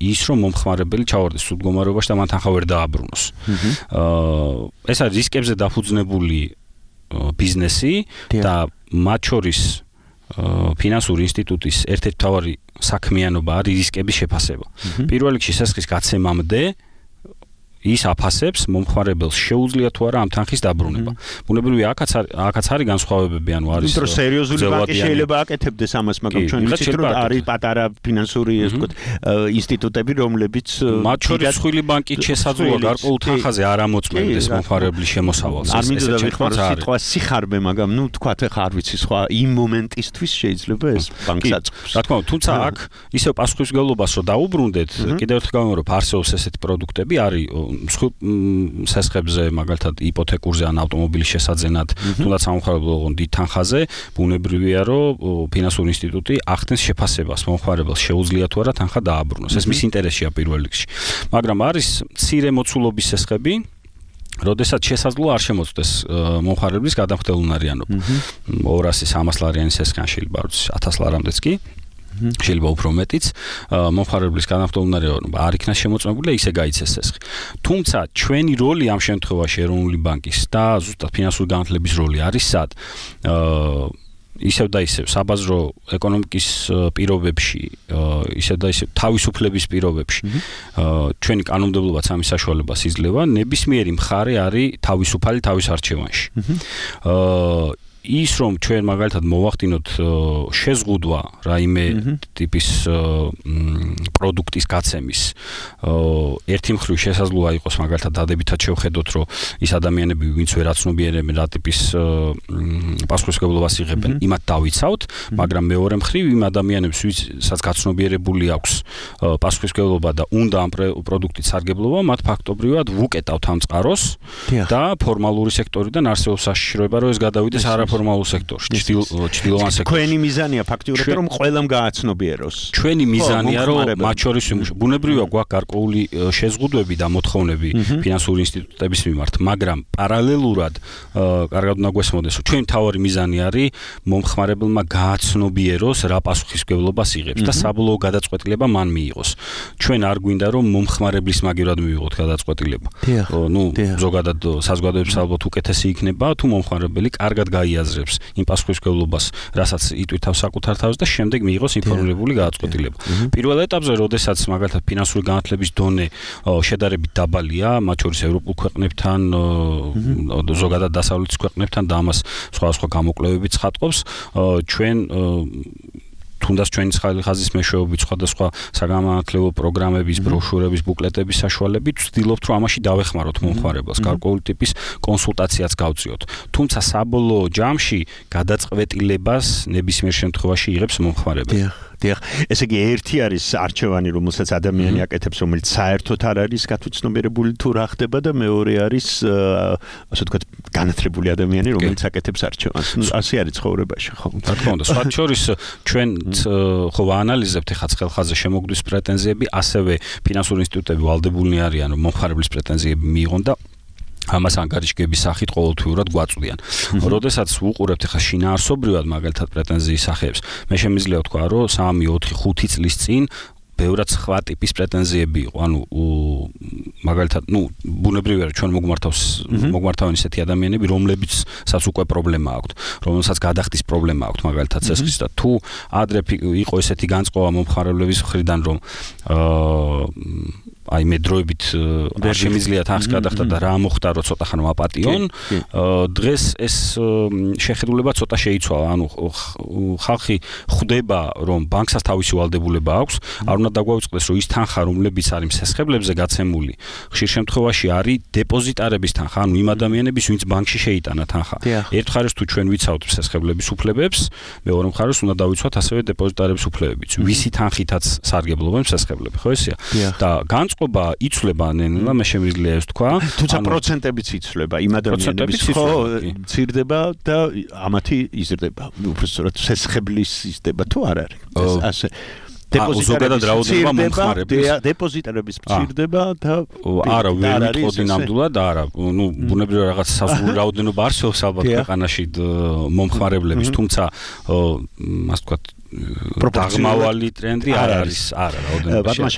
ის, რომ მომხმარებელი ჩავარდეს სულ მდგომარეობაში და მან თანხა ვერ დააბრუნოს. ეს არის რისკებზე დაფუძნებული ბიზნესი და მათ შორის ფინანსური ინსტიტუტის ერთ-ერთი მთავარი საქმიანობა არის რისკების შეფასება. პირველ რიგში შესახის გაცემამდე ის აფასებს მომხმარებელს შეუძლია თუ არა ამ თანხის დაბრუნება. ბუნებრივია აქაც აქაც არის განსხვავებები, ანუ არის რომ სერიოზული ბანკი შეიძლება აკეთებდეს ამას, მაგრამ ჩვენ ვიცით რომ არის პატარა ფინანსური ასე ვთქვათ ინსტიტუტები, რომლებიც მათ შორის სხვილი ბანკით შესაძლოა გარკვეულ თანხაზე არ ამოწმებდეს მომხმარებლის შემოსავალს. არ მინდოდა ვიხმარო სიტყვა სიხარბე, მაგრამ ნუ თქვათ ახლა არ ვიცი სხვა იმ მომენტისთვის შეიძლება ეს ბანკს აწყობს. რა თქმა უნდა, თუმცა აქ ისევ პასუხისმგებლობას რო დაუბრუნდეთ, კიდევ ერთხელ გავიმეორებ, არსებობს ესეთი პროდუქტები, არის სესხებზე, მაგალითად იპოთეკურზე ან ავტომობილის შესაძენად, თუნდაც სამომხმარებლო დიდ თანხაზე, ბუნებრივია, რომ ფინანსური ინსტიტუტი ახდენს შეფასებას მომხმარებელს შეუძლია თუ არა თანხა დააბრუნოს. ეს მის ინტერესია პირველ რიგში. მაგრამ არის მცირე მოცულობის სესხები, როდესაც შესაძლოა არ შემოწმდეს მომხმარებლის გადამხდელუნარიანობა. ორასი სამას ლარიანი სესხი ან შეიძლება ათას ლარამდეც კი შეიძლება უფრო მეტიც მომხმარებლის განახორციელება არ იქნა შემოწმებული და ისე გაიცეს სესხი. თუმცა ჩვენი როლი ამ შემთხვევაში ეროვნული ბანკის და ზუსტად ფინანსური განათლების როლი არის სად? ისევ და ისევ საბაზრო ეკონომიკის პირობებში, ისევ და ისევ თავისუფლების პირობებში ჩვენი კანონმდებლობაც ამის საშუალებას იძლევა, ნებისმიერი მხარე არის თავისუფალი თავის არჩევანში. ის რომ ჩვენ მაგალითად მოვახდინოთ შეზღუდვა რაიმე ტიპის პროდუქტის გაცემის ერთი მხრივ შესაძლოა იყოს მაგალითად დადებითად შევხედოთ რომ ის ადამიანები ვინც ვერ აცნობიერებენ რა ტიპის პასუხისმგებლობას იღებენ იმათ დავიცავთ მაგრამ მეორე მხრივ იმ ადამიანებს ვისაც გაცნობიერებული აქვს პასუხისმგებლობა და უნდა ამ პროდუქტის სარგებლობა მათ ფაქტობრივად ვუკეტავთ ამ წყაროს და ფორმალური სექტორიდან არსებობს საშიშროება რომ ეს გადავიდეს არაფორმალურ ფორმალურ სექტორში, ჭრილოვან სექტორში. Ჩვენი მიზანია ფაქტიურად რომ ყველამ გააცნობიეროს. ჩვენი მიზანია რომ მათ შორის ვიმუშაოთ. ბუნებრივია გვაქვს გარკვეული შეზღუდვები და მოთხოვნები ფინანსური ინსტიტუტების მიმართ, მაგრამ პარალელურად კარგად უნდა გვესმოდეს, რომ ჩვენი მთავარი მიზანი არის მომხმარებელმა გააცნობიეროს რა პასუხისმგებლობას იღებს და საბოლოო გადაწყვეტილება მან მიიღოს. ჩვენ არ გვინდა რომ მომხმარებლის მაგივრად მივიღოთ გადაწყვეტილება. ნუ ზოგადად საზოგადოების ალბათ უკეთესი იქნება თუ მომხმარებელი კარგად გაიაზრებს იმ პასუხისმგებლობას, რასაც იტვირთავს საკუთარ თავს და შემდეგ მიიღოს ინფორმირებული გადაწყვეტილება. პირველ ეტაპზე, როდესაც მაგალითად ფინანსური განათლების დონე შედარებით დაბალია, მათ შორის ევროპულ ქვეყნებთან, ზოგადად დასავლეთის ქვეყნებთან და ამას სხვადასხვა გამოკვლევებიც ხატყობს, ჩვენ თუნდაც ჩვენი ხაზის მეშვეობით სხვადასხვა საგანმანათლებლო პროგრამების, ბროშურების, ბუკლეტების საშუალებით ვცდილობთ, რომ ამაში დავეხმაროთ მომხმარებელს, გარკვეული ტიპის კონსულტაციაც გავწიოთ. თუმცა საბოლოო ჯამში გადაწყვეტილებას ნებისმიერ შემთხვევაში იღებს მომხმარებელი. დიახ, ესე იგი ერთი არის არჩევანი, რომელსაც ადამიანი აკეთებს, რომელიც საერთოდ არ არის გათვითცნობიერებული თუ რა ხდება და მეორე არის ასე ვთქვათ, განათლებული ადამიანი, რომელიც აკეთებს არჩევანს. ნუ ასე არის ცხოვრებაში, ხო? რა თქმა უნდა, სხვა შორის ჩვენ ხო ვაანალიზებთ ეხლა ხელხაზე შემოგვდის პრეტენზიები, ასევე ფინანსური ინსტიტუტები ვალდებულნი არიან, რომ მომხმარებლის პრეტენზიები მიიღონ და ამას ანგარიშგების სახით ყოველთვიურად გვაწვდიან. როდესაც ვუყურებთ ახლა შინაარსობრივად მაგალითად პრეტენზიის სახეებს, მე შემიძლია ვთქვა, რომ სამი, ოთხი, ხუთი წლის წინ ბევრად სხვა ტიპის პრეტენზიები იყო. ანუ მაგალითად, ნუ ბუნებრივია, რომ ჩვენ მოგმართავს მოგმართავენ ისეთი ადამიანები, რომლებიცაც უკვე პრობლემა აქვთ, რომელსაც გადახდის პრობლემა აქვთ, მაგალითად ცეცხლის და თუ ადრე იყო ესეთი განწყობა მომხმარებლების მხრიდან, რომ აა აი მე დროებით არ შემიძლია თანხის გადახდა და რა მოხდა რომ ცოტა ხანმა აპატიონ დღეს ეს შეხედულება ცოტა შეიცვალა ანუ ხალხი ხვდება რომ ბანკსაც თავისი ვალდებულება აქვს არ უნდა დაგვაუწყდეს რომ ის თანხა რომლებიც არის მსესხებლებზე გაცემული ხშირ შემთხვევაში არის დეპოზიტარების თანხა ანუ იმ ადამიანების ვინც ბანკში შეიტანა თანხა ერთ მხარეს თუ ჩვენ ვიცავთ მსესხებლების უფლებებს მეორე მხარეს უნდა დავიცვათ ასევე დეპოზიტარების უფლებებიც ვისი თანხითაც სარგებლობენ მსესხებლები ხო ესეა და განწყობა იცვლება ნელა მე შემიძლია ეს თქვა თუმცა პროცენტებიც იცვლება იმ ადამიანების ხო მცირდება და ამათი იზრდება უბრალოდ შესხებლის იზრდება თუ არ არის ასე ზოგადად რაოდენობა მომხმარებლის დეპოზიტარების მცირდება და არა ვერ ვიტყოდი ნამდვილად არა ნუ ბუნებრივად რაღაც საზღვრული რაოდენობა არსებობს ალბათ ქვეყანაში მომხმარებლების თუმცა ასე ვთქვათ დაღმავალი ტრენდი არ არის არა რაოდენობა ბატონო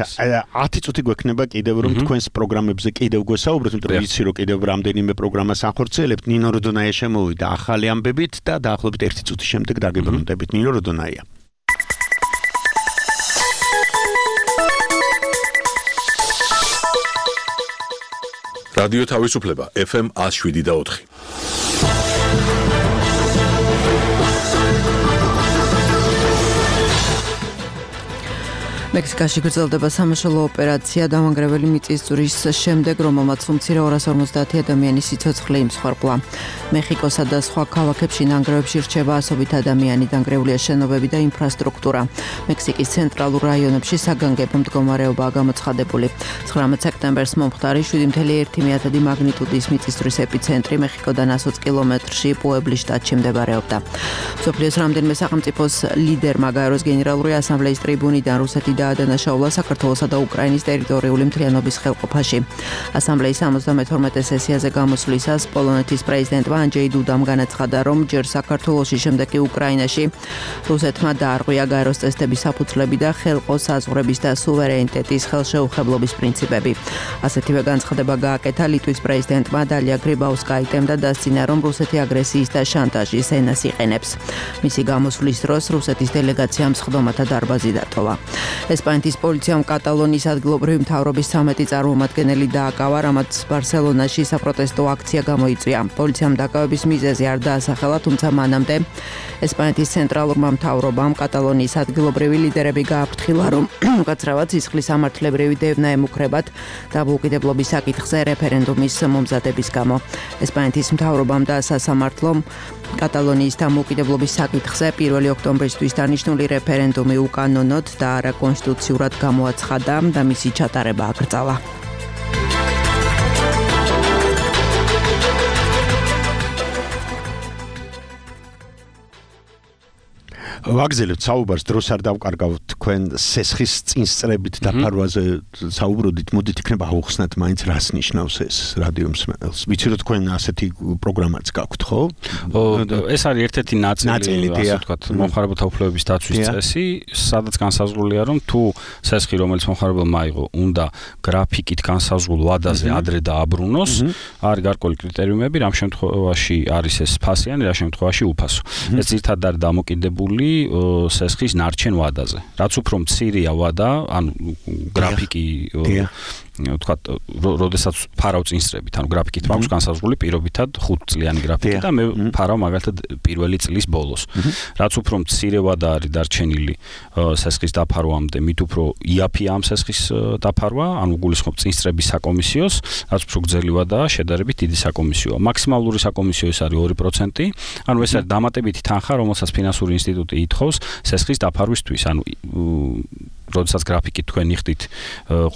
ათი წუთი გვექნება კიდევ რომ თქვენს პროგრამებზე კიდევ გვესაუბროთ იმიტომ რომ იცი რომ კიდევ რამდენიმე პროგრამას ახორციელებთ ნინო როდონაია შემოვიდა ახალი ამბებით და დაახლოებით ერთი წუთის შემდეგ დაგებრუნდებით ნინო როდონაია რადიო თავისუფლება ეფ ემ one oh seven და four მექსიკაში გრძელდება სამაშველო ოპერაცია დამანგრეველი მიწისძვრის შემდეგ, რომელმაც უმცირე ორას ორმოცდაათი ადამიანის სიცოცხლე იმსხვერპლა. მეხიკოსა და სხვა ქალაქებში ნანგრევებში რჩება ასობით ადამიანი, დანგრეულია შენობები და ინფრასტრუქტურა. მექსიკის ცენტრალურ რაიონებში საგანგებო მდგომარეობაა გამოცხადებული. ცხრამეტ სექტემბერს მომხდარი შვიდი კoma ერთი მაგნიტუდის მიწისძვრის ეპიცენტრი მეხიკოდან ათი კილომეტრში პუებლის შტატში მდებარეობდა. მსოფლიოს რამდენიმე სახელმწიფოს ლიდერმა გაეროს გენერალური ასამბლეის ტრიბუნიდან რუსეთი დაადანაშაულა საქართველოსა და უკრაინის ტერიტორიული მთლიანობის ხელყოფაში. ასამბლეის სამოცდამეთორმეტე სესიაზე გამოსვლისას პოლონეთის პრეზიდენტმა ანჯეი დუდამ განაცხადა, რომ ჯერ საქართველოში, შემდეგ კი უკრაინაში რუსეთმა დაარღვია გაეროს წესდების საფუძვლები და ხელყო საზღვრების და სუვერენიტეტის ხელშეუხებლობის პრინციპები. ასეთივე განცხადება გააკეთა ლიტვის პრეზიდენტმა დალია გრიბაუსკაიტემ და დასცინა, რომ რუსეთი აგრესიის და შანტაჟის ენას იყენებს. მისი გამოსვლის დროს რუსეთის დელეგაციამ სხდომათა დარბაზი დატოვა. ესპანეთის პოლიციამ კატალონიის ადგილობრივი მთავრობის ცამეტი წარმომადგენელი დააკავა, რამაც ბარსელონაში საპროტესტო აქცია გამოიწვია. პოლიციამ დაკავების მიზეზი არ დაასახელა, თუმცა მანამდე ესპანეთის ცენტრალურმა მთავრობამ კატალონიის ადგილობრივი ლიდერები გააფრთხილა, რომ უკაცრავად სისხლის სამართლებრივი დევნა ემუქრებათ დამოუკიდებლობის საკითხზე რეფერენდუმის მომზადების გამო. ესპანეთის მთავრობამ და სასამართლომ კატალონიის დამოუკიდებლობის საკითხზე პირველი ოქტომბრისთვის დანიშნული რეფერენდუმი უკანონოდ და არა კონსტიტუციურად გამოაცხადა და მისი ჩატარება აკრძალა. ვაგზელებთ საუბარს დროს არ დავკარგავთ თქვენ სესხის წინსწრებით დაფარვაზე საუბრობდით მოდით იქნება აუხსნათ მაინც რას ნიშნავს ეს რადიო მსმენელს ვიცი რომ თქვენ ასეთი პროგრამაც გაქვთ ხო ეს არის ერთ-ერთი ნაწილი ასე ვთქვათ მომხმარებელთა უფლებების დაცვის წესი სადაც განსაზღვრულია რომ თუ სესხი რომელიც მომხმარებელმა აიღო უნდა გრაფიკით განსაზღვრულ ვადაზე ადრე დააბრუნოს არის გარკვეული კრიტერიუმები რამ შემთხვევაში არის ეს ფასიანი რა შემთხვევაში უფასო ეს ძირითადად არის დამოკიდებული სესხის ნარჩენ ვადაზე. რაც უფრო მცირეა ვადა, ანუ გრაფიკი ვთქვათ, როდესაც ფარავ წინსწრებით, ანუ გრაფიკით მაქვს განსაზღვრული პირობითად ხუთ წლიანი გრაფიკი და მე ფარავ მაგალითად პირველი წლის ბოლოს. რაც უფრო მცირე ვადა არის დარჩენილი სესხის დაფარვამდე, მით უფრო იაფია ამ სესხის დაფარვა, ანუ გულისხმობ წინსწრების საკომისიოს, რაც უფრო გრძელი ვადაა, შედარებით დიდი საკომისიოა. მაქსიმალური საკომისიო ეს არის ორი პროცენტი, ანუ ეს არის დამატებითი თანხა, რომელსაც ფინანსური ინსტიტუტი ითხოვს სესხის დაფარვისთვის, ანუ როდესაც გრაფიკით თქვენ იხდით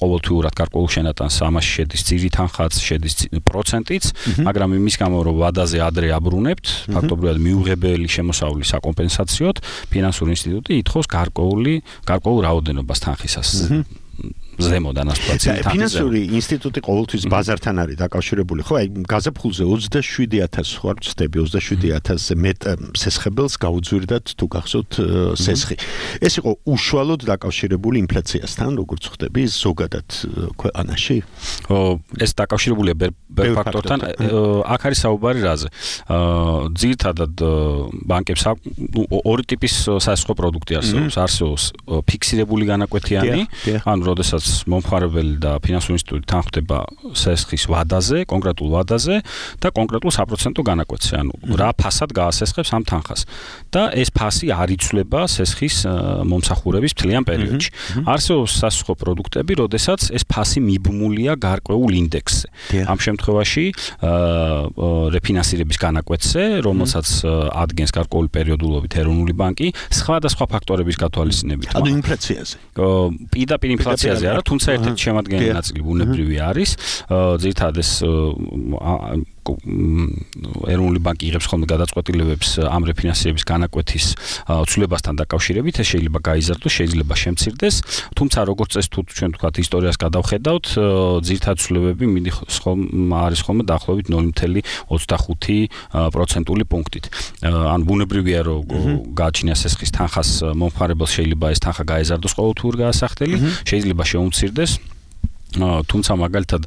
ყოველთვიურად გარკვეულ შენატანს ამაში შედის ძირი თანხაც, შედის პროცენტიც, მაგრამ იმის გამო რომ ვადაზე ადრე აბრუნებთ, ფაქტობრივად მიუღებელი შემოსავლის საკომპენსაციოდ ფინანსური ინსტიტუტი ითხოვს გარკვეული გარკვეულ რაოდენობას თანხისას. ზემოდან ასე ვთქვათ. ფინანსური ინსტიტუტი ყოველთვის ბაზართან არის დაკავშირებული, ხო? აი გაზაფხულზე ოცდაშვიდი ათასი ხო არ ვწდები ოცდაშვიდი ათასზე მეტ სესხებელს გაუძვირდათ თუ გახსოვთ სესხი. ეს იყო უშუალოდ დაკავშირებული ინფლაციასთან, როგორც ხვდები ზოგადად ქვეყანაში? ეს დაკავშირებულია ბევრ ფაქტორთან. აქ არის საუბარი რაზე? ძირითადად ბანკებს ორი ტიპის სასხო პროდუქტი არსებობს. არსებობს ფიქსირებული განაკვეთიანი, ანუ როდესაც მომხმარებელი და ფინანსური ინსტიტუტი თანხდება სესხის ვადაზე, კონკრეტულ ვადაზე და კონკრეტულ საპროცენტო განაკვეთზე, ანუ რა ფასად გაასესხებს ამ თანხას. და ეს ფასი არ იცვლება სესხის მომსახურების მთლიან პერიოდში. არსებობს სასხო პროდუქტები, როდესაც ეს ფასი მიბმულია გარკვეულ ინდექსზე. ამ შემთხვევაში რეფინანსირების განაკვეთზე, რომელსაც ადგენს გარკვეული პერიოდულობით ეროვნული ბანკი, სხვადასხვა ფაქტორების გათვალისწინებით. ანუ ინფლაციაზე. პირდაპირ ინფლაციაზე არა, თუმცა ერთ-ერთი შემადგენელი ნაწილი ბუნებრივი არის. ძირითადად ეს ეროვნული ბანკი იღებს ხოლმე გადაწყვეტილებებს ამ რეფინანსირების განაკვეთის ცვლილებასთან დაკავშირებით, ეს შეიძლება გაიზარდოს, შეიძლება შემცირდეს, თუმცა როგორც წესი თუ ჩვენ ვთქვათ ისტორიას გადავხედავთ, ძირითადი ცვლილებები არის ხოლმე დაახლოებით ნული ოცდათხუთი პროცენტული პუნქტით. ან ბუნებრივია რომ გააჩნიას ეს თანხას მომხმარებელს შეიძლება ეს თანხა გაეზარდოს ყოველთვიურ გაასახდელი, შეიძლება შეუმცირდეს. თუმცა მაგალითად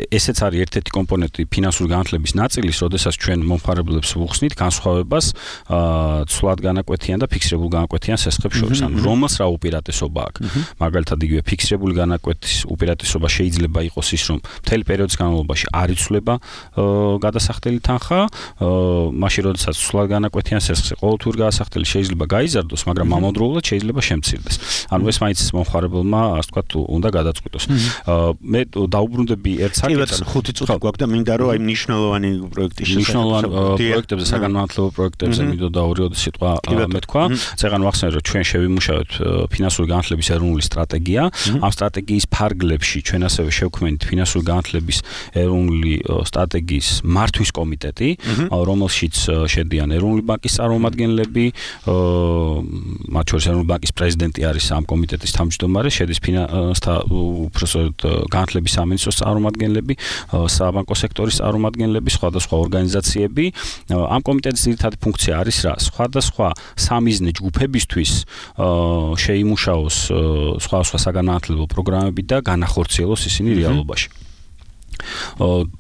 ესეც არის ერთ-ერთი კომპონენტი ფინანსური განათლების ნაწილის, როდესაც ჩვენ მომხმარებლებს ვუხსნით განსხვავებას ცვლად განაკვეთიან და ფიქსირებულ განაკვეთიან სესხებს შორის, ანუ რომელს რა უპირატესობა აქვს. მაგალითად იგივე ფიქსირებული განაკვეთის უპირატესობა შეიძლება იყოს ის, რომ მთელი პერიოდის განმავლობაში არ იცვლება გადასახდელი თანხა, მაშინ როდესაც ცვლად განაკვეთიან სესხზე ყოველთვიურ გაასახდელი შეიძლება გაიზარდოს, მაგრამ ამავდროულად შეიძლება შემცირდეს. ანუ ეს მაინც მომხმარებელმა, ასე ვთქვათ, უნდა გადაწყვიტოს. მე დაუბრუნდები ერთ საკითხს. ხუთი წუთი გვაქვს და მინდა რომ აი მნიშვნელოვანი პროექტის მნიშვნელოვანი პროექტებზე, საგანმანათლებლო პროექტებზე მინდოდა ორი სიტყვა მეთქვა. წეგან ვახსენე რომ ჩვენ შევიმუშავეთ ფინანსური განათლების ეროვნული სტრატეგია. ამ სტრატეგიის ფარგლებში ჩვენ ასევე შევქმნით ფინანსური განათლების ეროვნული სტრატეგიის მართვის კომიტეტი, რომელშიც შედიან ეროვნული ბანკის წარმომადგენლები, მათ შორის ეროვნული ბანკის პრეზიდენტი არის ამ კომიტეტის თავმჯდომარე, შედის ფინანსთა განათლების სამინისტროს წარმომადგენლები, საბანკო სექტორის წარმომადგენლები, სხვადასხვა ორგანიზაციები. ამ კომიტეტის ძირითადი ფუნქცია არის რა? სხვადასხვა სამიზნე ჯგუფებისთვის შეიმუშაოს სხვადასხვა საგანმანათლებლო პროგრამები და განახორციელოს ისინი რეალობაში.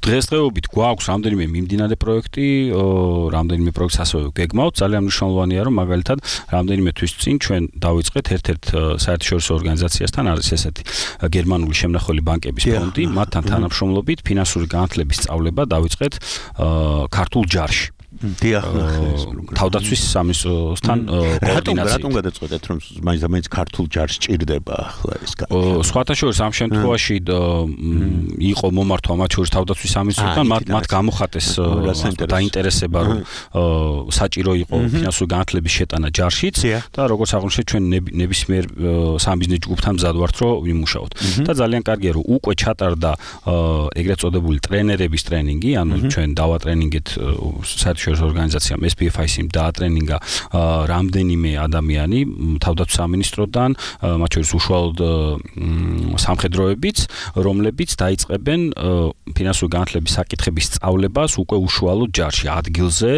დღესდღეობით გვაქვს რამდენიმე მიმდინარე პროექტი, რამდენიმე პროექტს ასევე გეგმავთ. ძალიან მნიშვნელოვანია, რომ მაგალითად რამდენიმე თვის წინ ჩვენ დავიწყეთ ერთ-ერთ საერთაშორისო ორგანიზაციასთან, არის ესეთი გერმანული შემნახველი ბანკების ფონდი, მათთან თანამშრომლობით ფინანსური განათლების სწავლება დავიწყეთ ქართულ ჯარში. დიახ, თავდაცვის სამინისტროსთან კოორდინაციით. რატომ გადაწყვეტეთ, რომ მაინც მაინც ქართულ ჯარს ჭირდება ახლა ეს განათლება? სხვათა შორის ამ შემთხვევაში იყო მომართვა მათ შორის თავდაცვის სამინისტროსთან, მათ მათ გამოხატეს დაინტერესება, რომ საჭირო იყო ფინანსური განათლების შეტანა ჯარშიც და როგორც აღნიშნეთ, ჩვენ ნებისმიერ სამიზნე ჯგუფთან მზად ვართ, რომ ვიმუშაოთ. და ძალიან კარგია, რომ უკვე ჩატარდა ეგრეთ წოდებული ტრენერების ტრენინგი, ანუ ჩვენ დავატრენინგეთ საერთაშორისო ორგანიზაციამ ეს პი ეფ აი სი-მ დაატრენინგა რამდენიმე ადამიანი თავდაცვის სამინისტროდან, მათ შორის უშუალოდ სამხედროებიც, რომლებიც დაიწყებენ ფინანსური განათლების საკითხების სწავლებას უკვე უშუალოდ ჯარში, ადგილზე,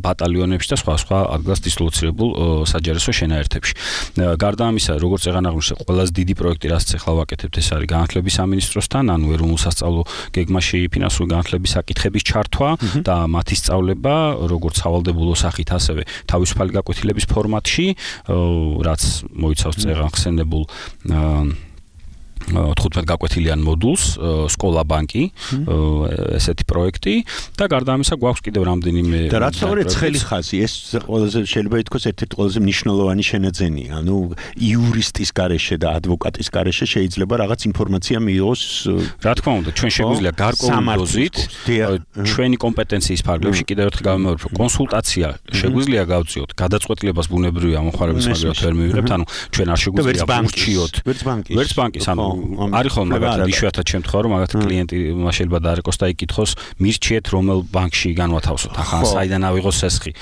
ბატალიონებში და სხვა სხვა ადგილას დისლოცირებულ საჯარისო შენაერთებში. გარდა ამისა, როგორც ეგან აღნიშნე, ყველაზე დიდი პროექტი, რაც ახლა ვაკეთებთ, ეს არის განათლების სამინისტროსთან, ანუ ეროვნულ სასწავლო გეგმაში ფინანსური განათლების საკითხების ჩართვა და მათი სწავლება, როგორც სავალდებულო სახით, ასევე თავისუფალი გაკვეთილების ფორმატში, რაც მოიცავს წეგან ხსენებულ თხუთმეტ გაკვეთილიან მოდულს, სკოლა ბანკი, ესეთი პროექტი და გარდა ამისა გვაქვს კიდევ რამდენიმე და რაც ორი ცხელი ხაზი, ეს ყველაზე შეიძლება ითქვას ერთ-ერთი ყველაზე მნიშვნელოვანი შენაძენია. ანუ იურისტის გარეშე და ადვოკატის გარეშე შეიძლება რაღაც ინფორმაცია მიიღოს. რა თქმა უნდა, ჩვენ შეგვიძლია გარკვეული დოზით ჩვენი კომპეტენციის ფარგლებში კიდევ ერთხელ გავიმეორებ, რომ კონსულტაცია შეგვიძლია გავწიოთ, გადაწყვეტილებას ბუნებრივია მომხმარებლის მაგალითად ვერ მივიღებთ, ანუ ჩვენ არ შეგვიძლია ვურჩიოთ ვერც ბანკის, ანუ არის ხოლმე მაგათად იშვიათად შემთხვევა, რომ მაგათ კლიენტი შეიძლება დაარეკოს და იკითხოს, მირჩიეთ რომელ ბანკში განვათავსოთ, ახლა საიდან ავიღოს სესხი.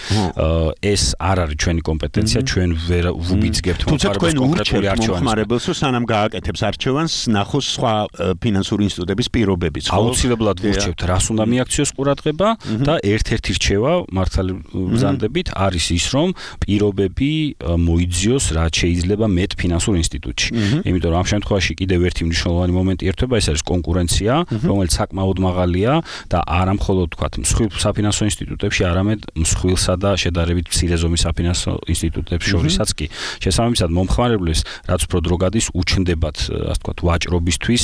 ეს არ არის ჩვენი კომპეტენცია, ჩვენ ვერ ვუბიძგებთ მომხმარებელს კონკრეტული არჩევანს. მომხმარებელს სანამ გააკეთებს არჩევანს, ნახოს სხვა ფინანსური ინსტიტუტების პირობებიც. აუცილებლად ვურჩევთ, რას უნდა მიაქციოს ყურადღება და ერთ-ერთი რჩევა მართალი ბრძანდებით არის ის, რომ პირობები მოიძიოს, რაც შეიძლება მეტ ფინანსურ ინსტიტუტში. იმიტომ რომ ამ შემთხვევაში კიდევ ერთი მნიშვნელოვანი მომენტი ერთვება, ეს არის კონკურენცია, რომელიც საკმაოდ მაღალია და არა მხოლოდ თქვათ მსხვილ საფინანსო ინსტიტუტებში, არამედ მსხვილსა და შედარებით მცირე ზომის საფინანსო ინსტიტუტებს შორისაც კი. შესაბამისად, მომხმარებლებს რაც უფრო დრო გადის, უჩნდებათ, ასე ვთქვათ, ვაჭრობისთვის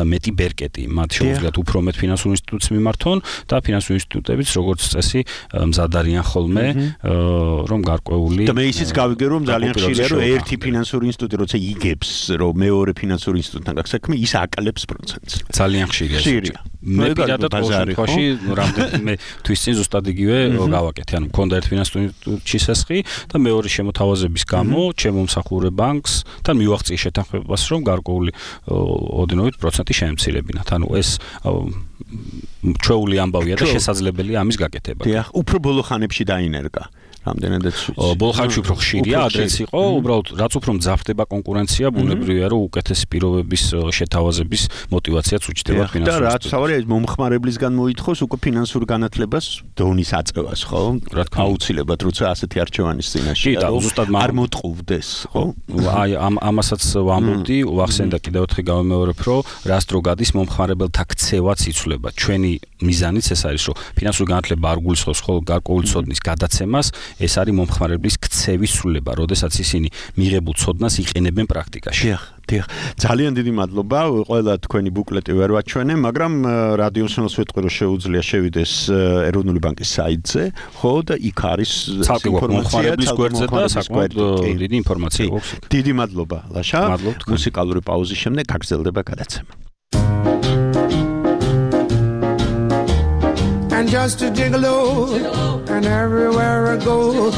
მეტი ბერკეტი. მათ შეუძლიათ უფრო მეტ ფინანსურ ინსტიტუტს მიმართონ და ფინანსური ინსტიტუტებიც როგორც წესი მზად არიან ხოლმე, რომ გარკვეული და მე ისიც გავიგე, რომ ძალიან ხშირია, რომ ერთი ფინანსური ინსტიტუტი როცა იგებს, რომ მეორე ფინანსური ინსტიტუტი ფინანსებთან გაქვს საქმე, ის აკლებს პროცენტს. ძალიან ხშირია. ხშირია. მე პირადად ყოველ შემთხვევაში რამდენიმე თვის წინ ზუსტად იგივე გავაკეთე. ანუ მქონდა ერთ ფინანსური ინსტიტუტში შესხი და მეორე შემოთავაზების გამო ჩემო მსახურე ბანკს თან მივაღწიე შეთანხმებას, რომ გარკვეული ოდნავით პროცენტი შემცირებინათ. ანუ ეს ჩვეული ამბავია და შესაძლებელია ამის გაკეთება. დიახ, უფრო ბოლო ხანებში დაინერგა. რამდენადაც ბოლო ხანში უფრო ხშირია, ადრეც იყო, უბრალოდ რაც უფრო მძაფრდება კონკურენცია, ბუნებრივია, რომ უკეთესი პირობების შეთავაზების мотиваციაც უჩნდება ფინანსურ. და რაც თავარია მომხმარებლისგან მოითხოვს უკვე ფინანსურ განათლებას დონის აწევას, ხო? აუცილებლად, როცა ასეთი არჩევანის წინაშე არ მოტყუვდეს, ხო? აი ამ ამასაც ვამბობდი, ვახსენდა კიდევ ერთხელ გავიმეორებ, რომ რას დრო გადის მომხმარებელთა ქცევაც იცვლება. ჩვენი მიზანიც ეს არის, რომ ფინანსური განათლება არ გულისხმობს ხოლმე გარკვეული ცოდნის გადაცემას, ეს არის მომხმარებლის ქცევის სრულება, როდესაც ისინი მიღებულ ცოდნას იყენებენ პრაქტიკაში. დიახ, დიახ. ძალიან დიდი მადლობა. ყველა თქვენი ბუკლეტი ვერ ვაჩვენე, მაგრამ რადიო სინოს ვეტყვი, რომ შეუძლია შევიდეს ეროვნული ბანკის საიტზე, ხო და იქ არის მომხმარებლის გვერდზე და საკმაოდ დიდი ინფორმაცია გვაქვს. დიდი მადლობა, ლაშა. მუსიკალური პაუზის შემდეგ გაგრძელდება გადაცემა. And just a gigolo, and everywhere I go,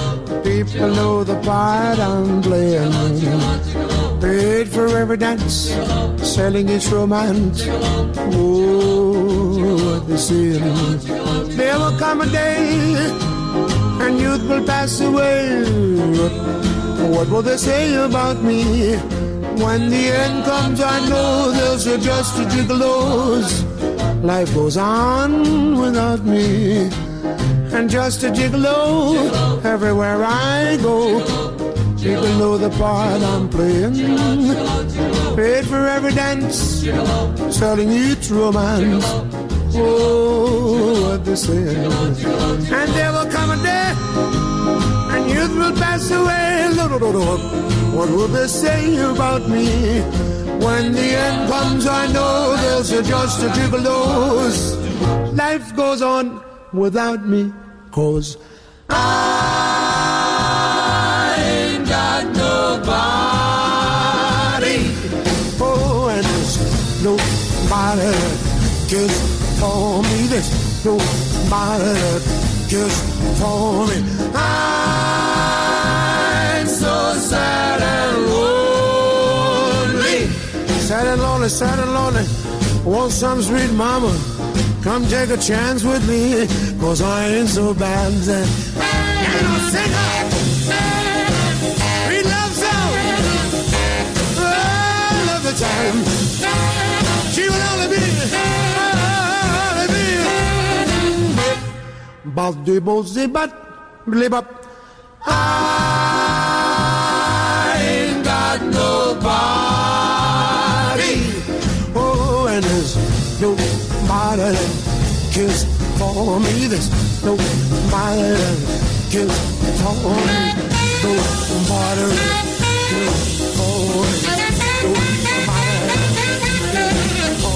people know the part I'm playing. Paid for every dance, selling its romance. Oh, what they say. There will come a day, and youth will pass away. What will they say about me? When the end comes, I know they'll say just a gigolos. Life goes on without me, and just a gigolo everywhere I go. People know the part I'm playing. Paid for every dance, selling each romance. Oh, what they say. And there will come a day, and youth will pass away. What will they say about me? When the end comes, I know they'll say just a gigolos. Life goes on without me, 'cause I ain't got nobody. Oh, and there's nobody that cares for me. There's nobody that cares for me. I'm so sad and lonely. Sad and lonely, sad and lonely. Want some sweet mama, come take a chance with me, 'cause I ain't so bad. And I'll sing her sweet love song all of the time. She will only be, only be but the bossy but live up. I ain't got nobody. Oh, and there's nobody that cares for me. There's nobody that cares for me. Nobody that cares for me. Nobody that cares for me. Let it go. Let it go.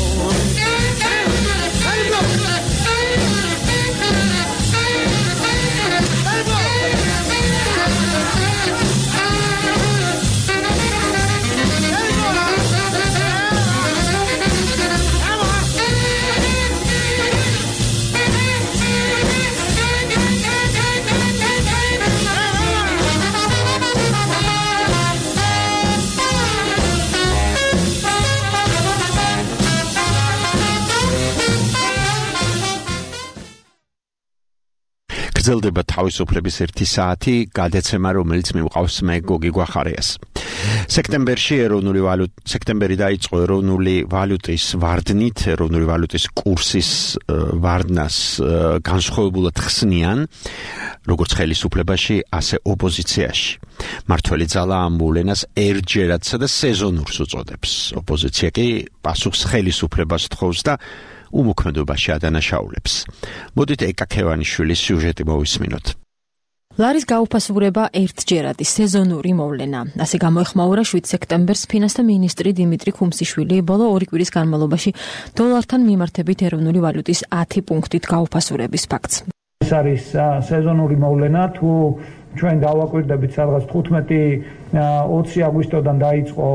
გრძელდება თავისუფლების ერთი საათი, გადაცემა, რომელიც მივყავს მე გოგი გვახარიას. სექტემბერში ეროვნული ვალუტა სექტემბერი დაიწყო ეროვნული ვალუტის ვარდნით, ეროვნული ვალუტის კურსის ვარდნას განსხვავებულად ხსნიან, როგორც ხელისუფლებაში, ასე ოპოზიციაში. მართველი ძალა ამ მოვლენას ერთჯერადსა და სეზონურს უწოდებს. ოპოზიცია კი პასუხს ხელისუფლებას თხოვს და უმოქმედობაში ადანაშაულებს. მოდით ეკა ქევანიშვილის სიუჟეტი მოვისმინოთ. ლარის გაუფასურება ერთჯერადი სეზონური მოვლენა. ასე გამოეხმაურა შვიდ სექტემბერს ფინანსთა მინისტრი დიმიტრი ქუმსიშვილი ბოლო ორი კვირის განმავლობაში დოლართან მიმართებით ეროვნული ვალუტის ათი პუნქტით გაუფასურების ფაქტს. ეს არის სეზონური მოვლენა, თუ ჩვენ დავაკვირდებით სადღაც თხუთმეტი ოცი აგვისტოდან დაიწყო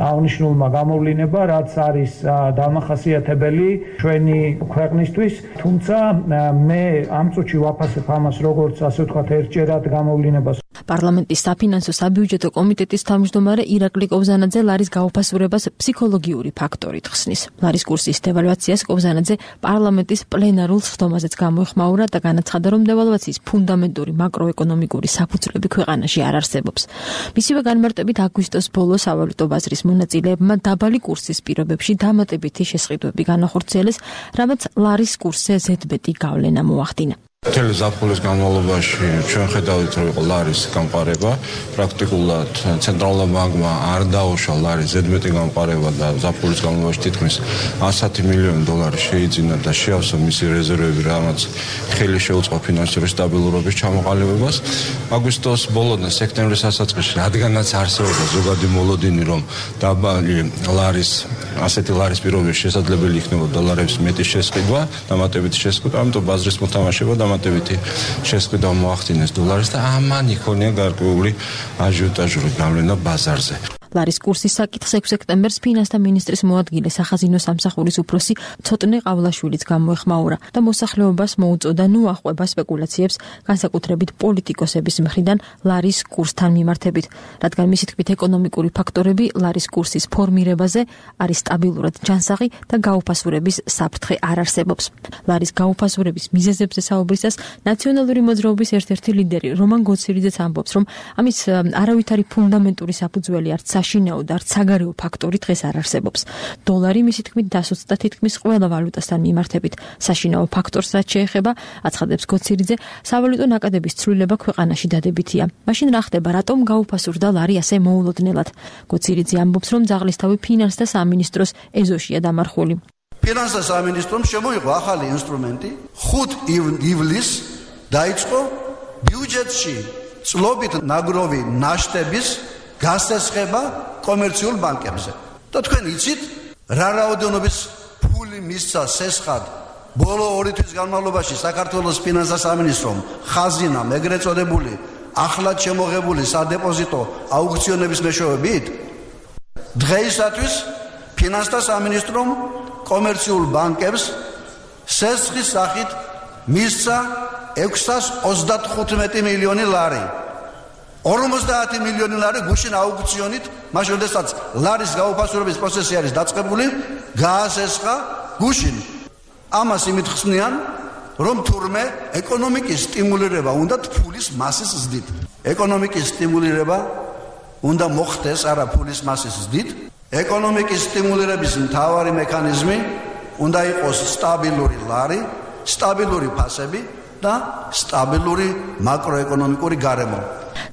აღნიშნულმა გამოვლინება, რაც არის დამახასიათებელი ჩვენი ქვეყნისთვის, თუმცა მე ამ წუთში ვაფასებ ამას როგორც ასე ვთქვათ ერთჯერად გამოვლინებას. პარლამენტის საფინანსო საბიუჯეტო კომიტეტის თავმჯდომარე ირაკლი კობზანაძე ლარის გაუფასურებას ფსიქოლოგიური ფაქტორით ხსნის. ლარის კურსის დევალვაციას კობზანაძე პარლამენტის პლენარულ სხდომაზეც გამოეხმაურა და განაცხადა, რომ დევალვაციის ფუნდამენტური მაკროეკონომიკური საფუძვლები ქვეყანაში არ არსებობს. მისივე განმარტებით აგვისტოს ბოლოს სავალუტო ბაზრის მონაწილეებმა დაბალი კურსის პირობებში დამატებითი შესყიდვები განახორციელეს, რამაც ლარის კურსზე ზედმეტი გავლენა მოახდინა. მთელი ზაფხულის განმავლობაში ჩვენ ხედავთ, რომ იყო ლარის გამყარება, პრაქტიკულად ცენტრალურმა ბანკმა არ დაუშვა ლარის ზედმეტი გამყარება და ზაფხულის განმავლობაში თითქმის ასი მილიონი დოლარი შეიძინა და შეავსო მისი რეზერვები, რამაც ხელი შეუწყო ფინანსური სტაბილურობის ჩამოყალიბებას. აგვისტოს ბოლოდან სექტემბრის დასაწყისში, რადგანაც არსებობდა ზოგადი მოლოდინი, რომ დაბალი ლარის ასეთი ლარის პირობებში შესაძლებელი იქნება დოლარების მეტი შესყიდვა, დამატებითი შესყიდვა, ამიტომ ბაზრის მოთამაშება დამატებითი შესყიდვა მოახდინეს დოლარის და ამან იქონია გარკვეული აჟიოტაჟური გავლენა ბაზარზე. ლარის კურსის საკითხს ექვსი სექტემბერს ფინანსთა მინისტრის მოადგილე სახაზინო სამსახურის უფროსი ცოტნე ყავლაშვილიც გამოეხმაურა და მოსახლეობას მოუწოდა ნუახვება სპეკულაციებს, განსაკუთრებით პოლიტიკოსების მხრიდან ლარის კურსთან მიმართებით, რადგან მისი თქმით ეკონომიკური ფაქტორები ლარის კურსის ფორმირებაზე არის სტაბილურად ჯანსაღი და გაუფასურების საფრთხე არ არსებობს. ლარის გაუფასურების მიზეზებზე საუბრისას ნაციონალური მოძრაობის ერთ-ერთი ლიდერი რომან გოცირიძეც ამბობს, რომ ამის არავითარი ფუნდამენტური საფუძველი არც საშინაო და არც საგარეო ფაქტორი დღეს არ არსებობს. დოლარი მისი თქმით დასუსტდა თითქმის ყველა ვალუტასთან მიმართებით. საშინაო ფაქტორს რაც შეეხება, აცხადებს გოცირიძე, სავალუტო ნაკადების ცვლილება ქვეყანაში დადებითია. მაშინ რა ხდება, რატომ გაუფასურდა ლარი ასე მოულოდნელად? გოცირიძე ამბობს, რომ ძაღლისთავი ფინანსთა სამინისტროს ეზოშია დამარხული. ფინანსთა სამინისტრომ შემოიღო ახალი ინსტრუმენტი, ხუთი ივლისს დაიწყო ბიუჯეტში წლობით ნაგროვი ნაშტების გასესხება კომერციულ ბანკებზე. და თქვენ იცით, რა რაოდენობის ფული მისცა სესხად ბოლო ორი თვის განმავლობაში საქართველოს ფინანსთა სამინისტრომ ხაზინამ ეგრეთ წოდებული ახლად შემოღებული სადეპოზიტო აუქციონების მეშვეობით? დღეისათვის ფინანსთა სამინისტრომ კომერციულ ბანკებს სესხის სახით მისცა ექვსას ოცდათხუთმეტი მილიონი ლარი. ორმოცდაათი მილიონი ლარი გუშინ აუქციონით, მაშინ როდესაც ლარის გაუფასურების პროცესი არის დაწყებული, გაასესხა გუშინ. ამას იმით ხსნიან, რომ თურმე ეკონომიკის სტიმულირება უნდა ფულის მასის ზრდით. ეკონომიკის სტიმულირება უნდა მოხდეს არა ფულის მასის ზრდით. ეკონომიკის სტიმულირების მთავარი მექანიზმი უნდა იყოს სტაბილური ლარი, სტაბილური ფასები და სტაბილური მაკროეკონომიკური გარემო.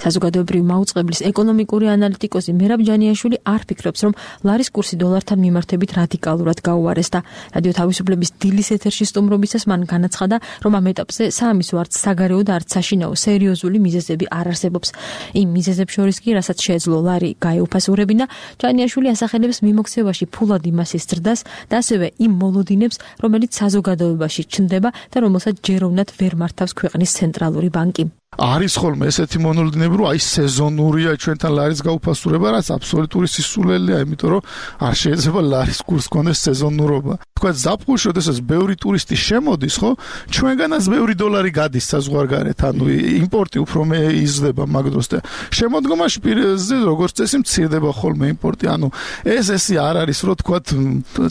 საზოგადოებრივი მაუწყებლის ეკონომიკური ანალიტიკოსი მერაბ ჯანიაშვილი არ ფიქრობს, რომ ლარის კურსი დოლართან მიმართებით რადიკალურად გაუარეს და რადიო თავისუფლების დილის ეთერში სტუმრობისას მან განაცხადა, რომ ამ ეტაპზე საამისო არც საგარეო და არც საშინაო სერიოზული მიზეზები არ არსებობს. იმ მიზეზებს შორის კი, რასაც შეეძლო ლარი გაეუფასურებინა, ჯანიაშვილი ასახელებს მიმოქცევაში ფულადი მასის ზრდას და ასევე იმ მოლოდინებს, რომელიც საზოგადოებაში ჩნდება და რომელსაც ჯეროვნად ვერ მართავს ქვეყნის ცენტრალური ბანკი. არის ხოლმე ესეთი მონოლდინები, რომ აი სეზონურია ჩვენთან ლარის გაუფასურება, რაც აბსოლუტური სისულელია, იმიტომ რომ არ შეიძლება ლარის კურს კონდეს სეზონურობა. თქვა ზაფხულში, როდესაც ბევრი ტურისტი შემოდის, ხო, ჩვენგანაც ბევრი დოლარი გადის საზღვარგარეთ, ანუ იმპორტი უფრო მე იზრდება მაგ დროს და შემოდგომაში პირზე როგორც წესი მცირდება ხოლმე იმპორტი, ანუ ეს ესე არ არის, რომ თქვა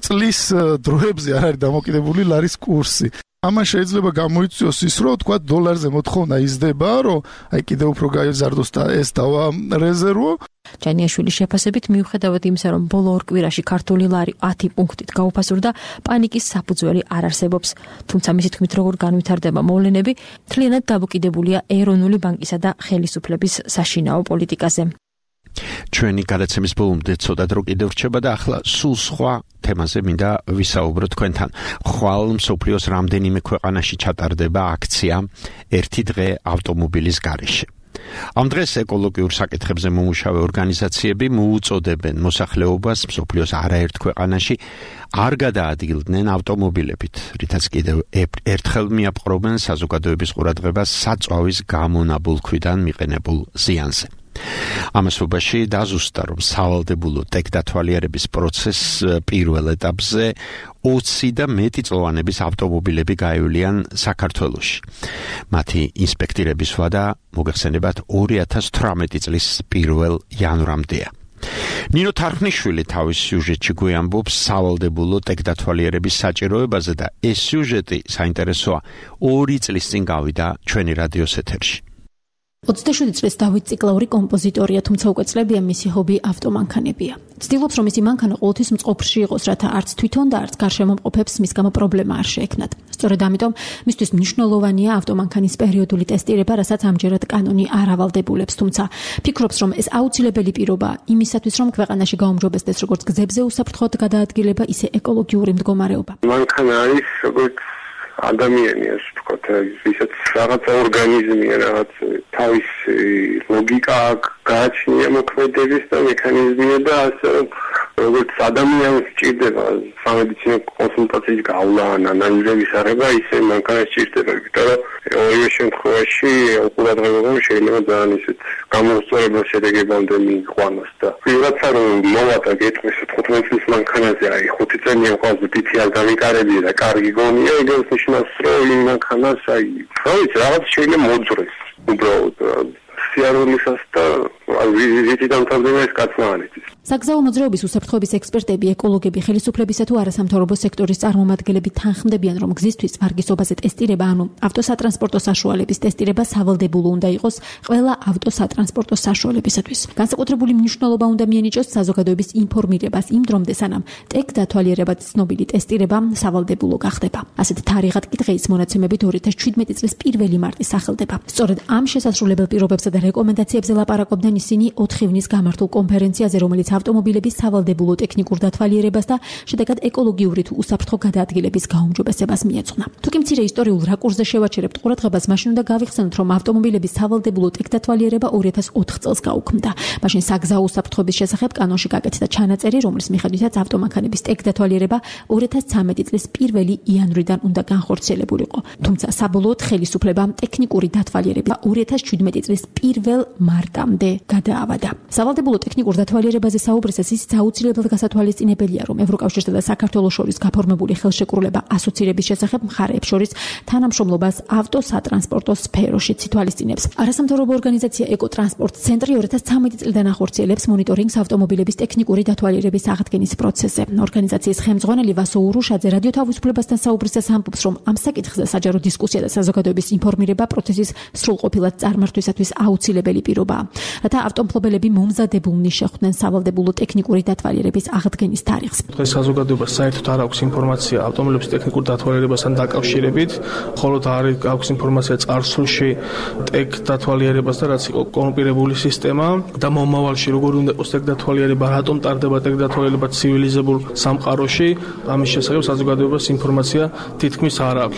წლის დროებზე არ არის დამოკიდებული ლარის კურსი. ამან შეიძლება გამოიწვიოს ის, რომ თქვა დოლარზე მოთხოვნა იზრდება, რომ აი კიდევ უფრო გაიზარდოს და ეს დავა რეზერვო. ჯანიაშვილის შეფასებით მიუხედავად იმისა, რომ ბოლო ორ კვირაში ქართული ლარი ათი პუნქტით გაუფასურდა, პანიკის საფუძველი არ არსებობს. თუმცა მისი თქმით, როგორ განვითარდება მოვლენები, მთლიანად დამოკიდებულია ეროვნული ბანკისა და ხელისუფლების საშინაო პოლიტიკაზე. ჩვენი გადაცემის ბოლომდე ცოტა დრო კიდევ რჩება და ახლა სულ სხვა თემაზე მინდა ვისაუბრო თქვენთან. ხვალ მსოფლიოს რამდენიმე ქვეყანაში ჩატარდება აქცია ერთი დღე ავტომობილის გარეშე. ამ დღეს ეკოლოგიურ საკითხებზე მომუშავე ორგანიზაციები მოუწოდებენ მოსახლეობას მსოფლიოს არაერთ ქვეყანაში არ გადაადგილდნენ ავტომობილებით, რითაც კიდევ ერთხელ მიაპყრობენ საზოგადოების ყურადღებას საწვავის გამონაბოლქვიდან მიყენებულ ზიანზე. ამასობაში დაზუსტა, რომ სავალდებულო ტექდათვალიერების პროცესს პირველ ეტაპზე ოცი და მეტი წლოვანების ავტომობილები გაივლიან საქართველოში. მათი ინსპექტირების ვადა მოგეხსენებათ ორი ათას თვრამეტი წლის პირველ იანვრამდეა. ნინო თარხნიშვილი თავის სიუჟეტში გვიამბობს სავალდებულო ტექდათვალიერების საჭიროებაზე და ეს სიუჟეტი საინტერესოა ორი წლის წინ გავიდა ჩვენი რადიოს ეთერში. ოცდაშვიდი წლის დავით ციკლაური კომპოზიტორია, თუმცა უკვე წლებია მისი ჰობი ავტომანქანებია. ცდილობს, რომ მისი მანქანა ყოველთვის მწყობრში იყოს, რათა არც თვითონ და არც გარშემო მყოფებს მის გამო პრობლემა არ შეექმნათ. სწორედ ამიტომ მისთვის მნიშვნელოვანია ავტომანქანის პერიოდული ტესტირება, რასაც ამჯერად კანონი არ ავალდებულებს, თუმცა ფიქრობს, რომ ეს აუცილებელი პირობაა იმისათვის, რომ ქვეყანაში გაუმჯობესდეს როგორც გზებზე უსაფრთხოდ გადაადგილება, ისე ეკოლოგიური მდგომარეობა. მანქანა არის როგორც ადამიანი, ასე ვთქვათ, ისაც რაღაც ორგანიზმია, რაღაც თავის ლოგიკა გააჩნია მოქმედების და მექანიზმია და ასე როგორც ადამიანს სჭირდება სამედიცინო კონსულტაციის გავლა ან ანალიზების აღება, ისე მანქანას სჭირდება, იმიტომ რომ ორივე შემთხვევაში ყურადღება შეიძლება ძალიან ისეთ გამოუსწორებელ შედეგებამდე მიიყვანოს და ვიღაცა რომ მოვატა გეტყვის თხუთმეტ წლის მანქანაზე, აი ხუთი წელია ყავს თითი არ გამიკარებია და კარგი გონია, ეგრე ნიშნავს რომ იმ მანქანას აი რა ვიცი რაღაც შეიძლება მოძრეს უბრალოდ სიარულისას და ვიზიტი დამთავრდება ეს კაცმანით. საგზაო მოძრაობის უსაფრთხოების ექსპერტები, ეკოლოგები, ხელისუფლებისა თუ არასამთავრობო სექტორის წარმომადგენლები თანხმდებიან, რომ გზისთვის ვარგისობაზე ტესტირება, ანუ ავტოსატრანსპორტო საშუალების ტესტირება სავალდებულო უნდა იყოს ყველა ავტოსატრანსპორტო საშუალებისათვის. განსაკუთრებული მნიშვნელობა უნდა მიენიჭოს საზოგადოების ინფორმირებას იმ დრომდე, სანამ ტექდათვალიერებად ცნობილი ტესტირება სავალდებულო გახდება. ასეთ თარიღად კი დღეის მონაცემებით ორი ათას ჩვიდმეტი წლის პირველი მარტი სახელდება. სწორედ ამ შესასრულებელ პირობებსა და რეკომენდაციებზე ლაპარაკობდნენ ისინი ოთხი ივნის გამართულ კონფერენციაზე, რომელიც ავტომობილების სავალდებულო ტექნიკურ დათვალიერებას და შედეგად ეკოლოგიური თუ უსაფრთხო გადაადგილების გაუმჯობესებას მიეძღვნა. თუკი მცირე ისტორიულ რაკურსზე შევაჩერებთ ყურადღებას, მაშინ უნდა გავიხსენოთ, რომ ავტომობილების სავალდებულო ტექდათვალიერება ორი ათას ოთხ წელს გაუქმდა. მაშინ საგზაო უსაფრთხოების შესახებ კანონში გაკეთდა ჩანაწერი, რომლის მიხედვითაც ავტომანქანების ტექდათვალიერება ორი ათას ცხრამეტი წლის პირველი იანვრიდან უნდა განხორციელებულიყო. თუმცა საბოლოოდ ხელისუფლებამ ტექნიკური დათვალიერება ორი ათას შვიდმეტი წლის პირველ მარტამდე გადაავადა. სავალდებულო ტექნიკურ დათვალიერებაზე საუბრისას ისიც აუცილებლად გასათვალისწინებელია, რომ ევროკავშირსა და საქართველოს შორის გაფორმებული ხელშეკრულება ასოცირების შესახებ მხარეებს შორის თანამშრომლობას ავტოსატრანსპორტო სფეროში ითვალისწინებს. არასამთავრობო ორგანიზაცია ეკოტრანსპორტ ცენტრი ორი ათას ცხრამეტი წლიდან ახორციელებს მონიტორინგს ავტომობილების ტექნიკური დათვალიერების აღდგენის პროცესზე. ორგანიზაციის ხელმძღვანელი ვასო ურუშაძე რადიო თავისუფლებასთან საუბრისას ამბობს, რომ ამ საკითხზე საჯარო დისკუსია და საზოგადოების ინფორმირება პროცესის სრულყოფილად წარმართვისათვის აუცილებელი პირობაა. რათა ავტომობილები მომზადებულნი შეხვდნენ სავალდებულო ტექნიკური დათვალიერების აღდგენის თარიღს. დღეს საზოგადოებას საერთოდ არ აქვს ინფორმაცია ავტომობილების ტექნიკურ დათვალიერებასთან დაკავშირებით, ხოლო არ აქვს ინფორმაცია წარსულში ტექ დათვალიერებას და რაც იყო კონპირებული სისტემა და მომავალში როგორ უნდა იყოს ტექ დათვალიერება, რატომ ტარდება ტექ დათვალიერება ცივილიზებულ სამყაროში, ამის შესახებ საზოგადოებას ინფორმაცია თითქმის არ აქვს.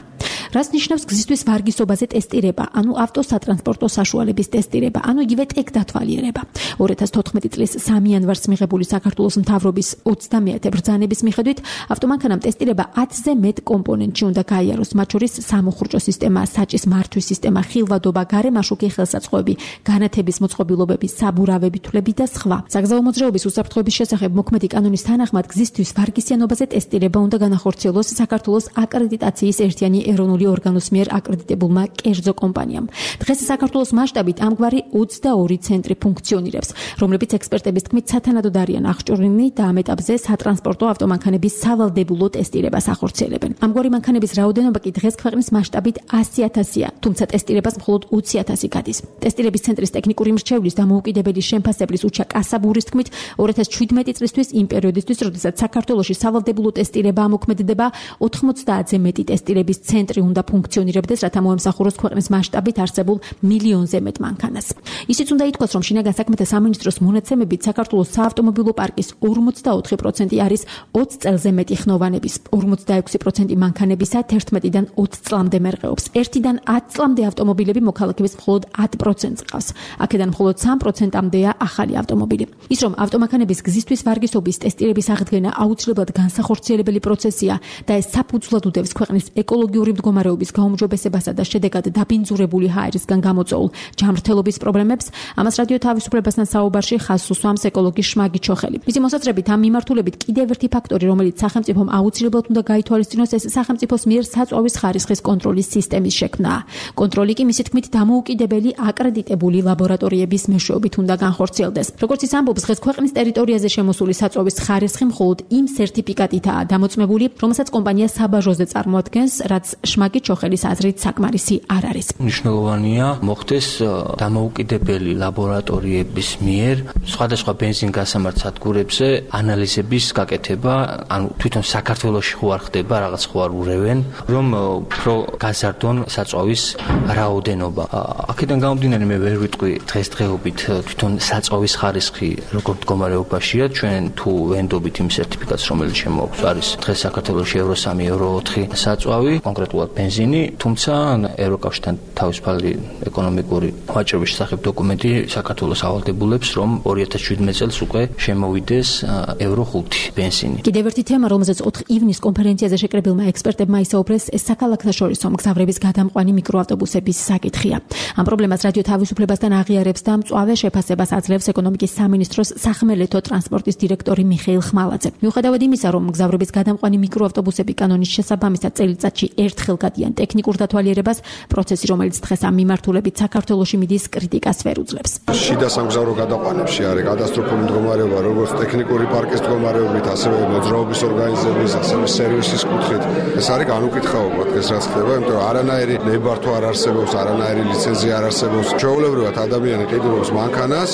რას ნიშნავს გზისთვის ვარგისობაზე ტესტირება, ანუ ავტოსატრანსპორტო საშუალების ტესტირება, ანუ იგივე ტექ დათვალიერება. ორი ათას თოთხმეტი წლის სამი იანვარს მიღებული საქართველოს მთავრობის ოცდამეათე ბრძანების მიხედვით ავტომანქანამ ტესტირება ათზე მეტ კომპონენტში უნდა გაიაროს, მათ შორის სამუხრუჭო სისტემა, საჭის მართვის სისტემა, ხილვადობა, გარემაშუქი ხელსაწყოები, განათების მოწყობილობები, საბურავები, თვლები და სხვა. საგზაო მოძრაობის უსაფრთხოების შესახებ მოქმედი კანონის თანახმად გზისთვის ვარგისიანობაზე ტესტირება უნდა განახორციელოს საქართველოს აკრედიტაციის ერთიანი ეროვნული ორგანოს მიერ აკრედიტებულმა კერძო კომპანიამ. დღეს საქართველოს მასშტაბით ამგვარი ოცდაორი ცენტრი ფუნქციონირებს, რომლებიც ექსპერტების თქმით სათანადოდ არიან აღჭურვილნი და ამ ეტაპზე სატრანსპორტო ავტომანქანების სავალდებულო ტესტირებას ახორციელებენ. ამგვარი მანქანების რაოდენობა კი დღეს ქვეყნის მასშტაბით ასი ათასია, თუმცა ტესტირებას მხოლოდ ოცი ათასი გადის. ტესტირების ცენტრის ტექნიკური მრჩევლის დამოუკიდებელი შემფასებლის უჩა კასაბურის თქმით, ორი ათას შვიდმეტი წლისთვის იმ პერიოდისთვის, როდესაც საქართველოში სავალდებულო ტესტირება ამოქმედებდა, ოთხმოცდაათზე მეტი ტესტირების ცენტრი უნდა ფუნქციონირებდეს, რათა მოემსახუროს ქვეყნის მასშტაბით არსებულ მილიონზე მეტ მანქანას. ისიც უნდა ითქვას, რომ შინაგან საქმეთა სამინისტროს მონაცემებით საქართველოს საავტომობილო პარკის ორმოცდაოთხი პროცენტი არის ოცი წელზე მეტი ხნოვანების, ორმოცდაექვსი პროცენტი მანქანებისა თერთმეტიდან ოცი წლამდე მერყეობს. ერთიდან ათი წლამდე ავტომობილები მოქალაქეების მხოლოდ ათი პროცენტს ყავს. აქედან მხოლოდ სამი პროცენტამდეა ახალი ავტომობილი. ის რომ ავტომანქანების გზისთვის ვარგისობის ტესტირების აღდგენა აუცილებლად განსახორციელებელი პროცესია და ეს საფუძვლად უდევს ქვეყნის ეკოლოგიური მდგომარეობის მდგომარეობის გაუმჯობესებასა და შედეგად დაბინძურებული ჰაერისგან გამოწვეულ ჯანმრთელობის პრობლემებს, ამას რადიო თავისუფლებასთან საუბარში ხაზს უსვამს ეკოლოგი შმაგი ჩოხელი. მისი მოსაზრებით ამ მიმართულებით კიდევ ერთი ფაქტორი, რომელიც სახელმწიფომ აუცილებლად უნდა გაითვალისწინოს, ეს სახელმწიფოს მიერ საწვავის ხარისხის კონტროლის სისტემის შექმნა. კონტროლი კი მისი თქმით დამოუკიდებელი აკრედიტებული ლაბორატორიების მეშვეობით უნდა განხორციელდეს. როგორც ის ამბობს, დღეს ქვეყნის ტერიტორიაზე შემოსული საწვავის ხარისხი მხოლოდ იმ სერტიფიკატითაა დამოწმებული, რომელსაც კომპანია საბაჟოზე წარმოადგენს, რაც შმაგი ჩოხელის აზრით საკმარისი არ არის. მნიშვნელოვანია მოხდეს დამოუკიდებელი ლაბორატორიების მიერ სხვადასხვა ბენზინ-გასამართ სადგურებზე ანალიზების გაკეთება, ანუ თვითონ საქართველოში ხო არ ხდება, რაღაც ხო არ ურევენ, რომ უფრო გაზარდონ საწვავის რაოდენობა. აქედან გამომდინარე მე ვერ ვიტყვი დღესდღეობით თვითონ საწვავის ხარისხი როგორ მდგომარეობაშია, ჩვენ თუ ვენდობით იმ სერტიფიკატს, რომელიც შემოაქვს, არის დღეს საქართველოში ევრო სამი, ევრო ოთხი საწვავი, კონკრეტულად ბენზინი, თუმცა ევროკავშირთან თავისუფალი ეკონომიკური ვაჭრობის შესახებ დოკუმენტი საქართველოს ავალდებულებს, რომ ორი ათას შვიდმეტ წელს უკვე შემოვიდეს ევრო ხუთი ბენზინი. კიდევ ერთი თემა, რომელზეც ოთხ ივნის კონფერენციაზე შეკრებილმა ექსპერტებმა ისაუბრეს, ეს საქალაქთაშორისო მგზავრების გადამყვანი მიკროავტობუსების საკითხია. ამ პრობლემას რადიო თავისუფლებასთან აღიარებს და მწვავე შეფასებას აძლევს ეკონომიკის სამინისტროს სახმელეთო ტრანსპორტის დირექტორი მიხეილ ხმალაძე. მიუხედავად იმისა, რომ მგზავრების გადამყვანი მიკროავტობუსები კანონის შესაბამისად წელიწადში ერთხელ გადიან ტექნიკურ დათვალიერებას, პროცესი, რომელიც დღეს ამ მიმართულებით საქართველოში მიდის, კრიტიკას ვერ უძლებს. შიდა სამგზავრო გადაყვანებში არის კატასტროფული მდგომარეობა, როგორც ტექნიკური პარკის მდგომარეობით, ასევე მოძრაობის ორგანიზების, ასევე სერვისის კუთხით. ეს არის განუკითხაობა დღეს რაც ხდება, იმიტომ რომ არანაირი ნებართვა არ არსებობს, არანაირი ლიცენზია არ არსებობს. ჩვეულებრივად ადამიანი ყიდულობს მანქანას,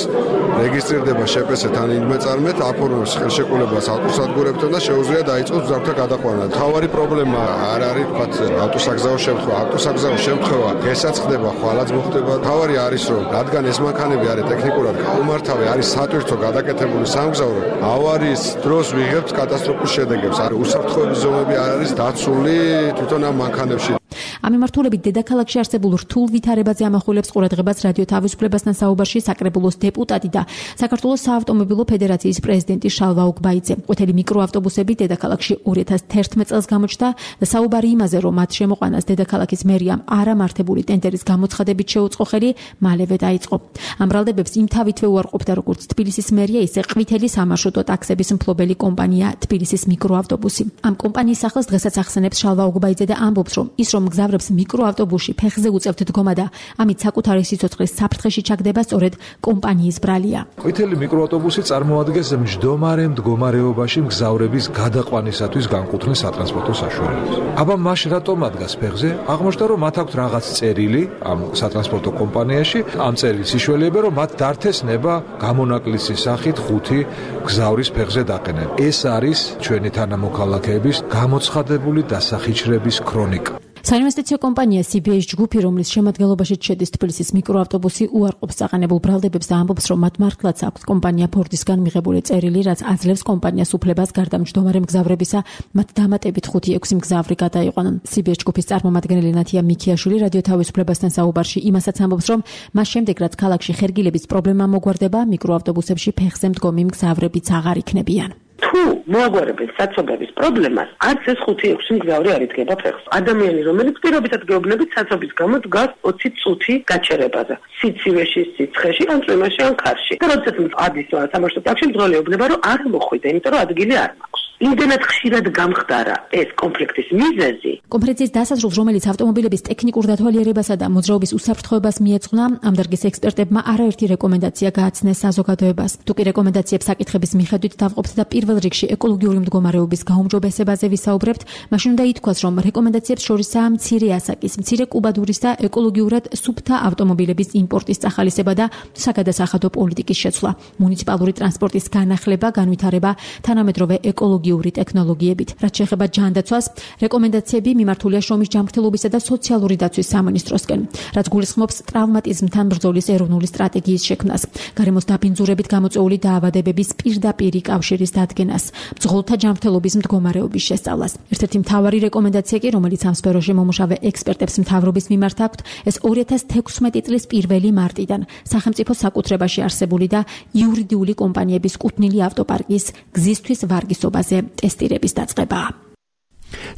რეგისტრირდება შეპესეთ ან ინმეწარმეთ, აფორმებს ხელშეკრულებას ავტოსადგურებთან და შეუძლია დაიწყოს მგზავრთა გადაყვანა. თავარი პრობლემა არ არის თქვათ ავტოსაგზაო შემთხვევა, ავტოსაგზაო შემთხვევა დღესაც ხდება, ხვალაც მოხდება. თავარი არის რომ რადგან ეს მანქანები არის ტექნიკურად გაუმართავი, არის სატვირთო გადაკეთებული სამგზავრო, ავარიის დროს ვიღებთ კატასტროფულ შედეგებს. არის უსაფრთხოების ზომები არ არის დაცული თვითონ ამ მანქანებში. ამ მიმართულებით დედაქალაქში არსებულ რთულ ვითარებაზე ამახვილებს ყურადღებას რადიო თავისუფლებასთან საუბარში საკრებულოს დეპუტატი და საქართველოს საავტომობილო ფედერაციის პრეზიდენტი შალვა უგბაიძე. ყვითელი მიკროავტობუსები დედაქალაქში ორი ათას თერთმეტ წელს გამოჩნდა და საუბარი იმაზე, რომ მათ შემოყვანას დედაქალაქის მერიამ არამართებული ტენდერის გამოცხადებით შეუწყო ხელი, მალევე დაიწყო. ამ ბრალდებებს იმთავითვე უარყოფდა როგორც თბილისის მერია, ისე ყვითელი სამარშრუტო ტაქსების მფლობელი კომპანია თბილისის მიკროავტობუსი. ამ კომპანიის სახელს დღესაც ახსენებს შალვა უგბაიძე და ამბობს, რომ ის რომ მგზავრებს მიკროავტობუსში ფეხზე უწევთ დგომა და ამით საკუთარი სიცოცხლის საფრთხეში ჩაგდება სწორედ კომპანიის ბრალია. ყვითელი მიკროავტობუსი წარმოადგენს მჯდომარე მდგომარეობაში მგზავრების გადაყვანისათვის განკუთვნილ სატრანსპორტო საშუალებას. აბა მაშ რატომ ადგას ფეხზე? აღმოჩნდა რომ მათ აქვთ რაღაც წერილი ამ სატრანსპორტო კომპანიაში, ამ წერილის საშუალება რომ მათ დართეს ნება გამონაკლისის სახით ხუთი მგზავრის ფეხზე დაყენება. ეს არის ჩვენი თანამოქალაქეების გამოცხადებული დასახიჩრების ქრონიკა. საინვესტიციო კომპანია სი ბი ეის ჯგუფი, რომლის შემადგენლობაშიც შედის თბილისის მიკროავტობუსი, უარყოფს აღანებულ ბრალდებებს და ამბობს, რომ მათ მართლაც აქვს კომპანია ფორდისგან მიღებული წერილი, რაც აძლევს კომპანიას უფლებას გარდა მჯდომარე მგზავრებისა, მათ დამატებით ხუთი ექვსი მგზავრი გადაიყვანონ. სი ბი ეის ჯგუფის წარმომადგენელი ნათია მიქიაშვილი რადიო თავისუფლებასთან საუბარში იმასაც ამბობს, რომ მას შემდეგ, რაც ქალაქში ხერგილების პრობლემა მოგვარდება, მიკროავტობუსებში ფეხზე მდგომი მგზავრებიც აღარ იქნებიან. თუ მოაგვარებენ საცობების პრობლემას, არც ეს ხუთი ექვსი მგზავრი არ იდგება ფეხს. ადამიანი, რომელიც პირობითად გეუბნებით საცობის გამო დგას ოცი წუთი გაჩერებაზე. სიცივეში, სიცხეში, ან წვიმაში, ან ქარში. და როდესაც ადის სამარშრუტო ტაქსში, მძღოლი ეუბნება, რომ არ მოხვიდა, იმიტომ რომ ადგილი არ მაქვს. იმდენად ხშირად გამხდარა ეს კონფლიქტის მიზეზი. კონფერენციის დასასრულს, რომელიც ავტომობილების ტექნიკურ დათვალიერებასა და მოძრაობის უსაფრთხოებას მიეძღვნა, ამ დარგის ექსპერტებმა არაერთი რეკომენდაცია გააცნეს საზოგადოებას. თუკი რეკომენდაციებს საკითხების მიხედვით დავყოფთ და პირველ რიგში ეკოლოგიური მდგომარეობის გაუმჯობესებაზე ვისაუბრებთ, მაშინ უნდა ითქვას, რომ რეკომენდაციებს შორისაა მცირე ასაკის, მცირე კუბადურის და ეკოლოგიურად სუფთა ავტომობილების იმპორტის წახალისება და საგადასახადო პოლიტიკის შეცვლა, მუნიციპალური ტრანსპორტის განახლება, განვითარება, თანამედროვე ეკოლოგიური ტექნოლოგიებით. რაც შეეხება ჯანდაცვას, რეკომენდაციები მიმართულია შრომის ჯანმრთელობისა და სოციალური დაცვის სამინისტროსკენ, რაც გულისხმობს ტრავმატიზმთან ბრძოლის ეროვნული სტრატეგიის შექმნას, გარემოს დაბინძურებით გამოწვეული დაავადებების პირდაპირი კავშირის დადგენას, მძღოლთა ჯანმრთელობის მდგომარეობის შესწავლას. ერთ-ერთი მთავარი რეკომენდაცია კი, რომელიც ამ სფეროში მომუშავე ექსპერტებს მთავრობის მიმართ აქვთ, ეს ორი ათას თექვსმეტი წლის პირველი მარტიდან სახელმწიფო საკუთრებაში არსებული და იურიდიული კომპანიების კუთვნილი ავტოპარკის გზისთვის ვარგისობაზე ტესტირების დაწყებაა.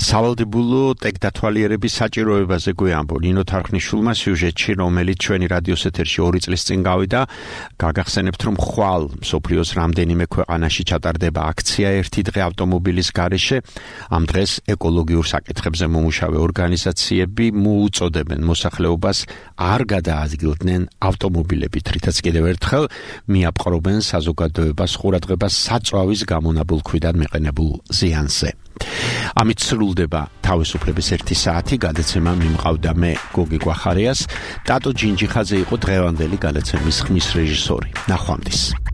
სავალდებულო ტექდათვალიერების საჭიროებაზე გვეამბო ნინო თარხნიშვილმა სიუჟეტში, რომელიც ჩვენი რადიოს ეთერში ორი წლის წინ გავიდა. გაგახსენებთ, რომ ხვალ მსოფლიოს რამდენიმე ქვეყანაში ჩატარდება აქცია ერთი დღე ავტომობილის გარეშე. ამ დღეს ეკოლოგიურ საკითხებზე მომუშავე ორგანიზაციები მოუწოდებენ მოსახლეობას არ გადაადგილდნენ ავტომობილებით, რითაც კიდევ ერთხელ მიაპყრობენ საზოგადოებას ყურადღებას საწვავის გამონაბოლქვიდან მიყენებულ ზიანზე. ამით სრულდება თავისუფლების ერთი საათი. გადაცემა მიმყავდა მე გოგი გვახარიას. ტატო ჯინჯიხაძე იყო დღევანდელი გადაცემის ხმის რეჟისორი. ნახვამდის.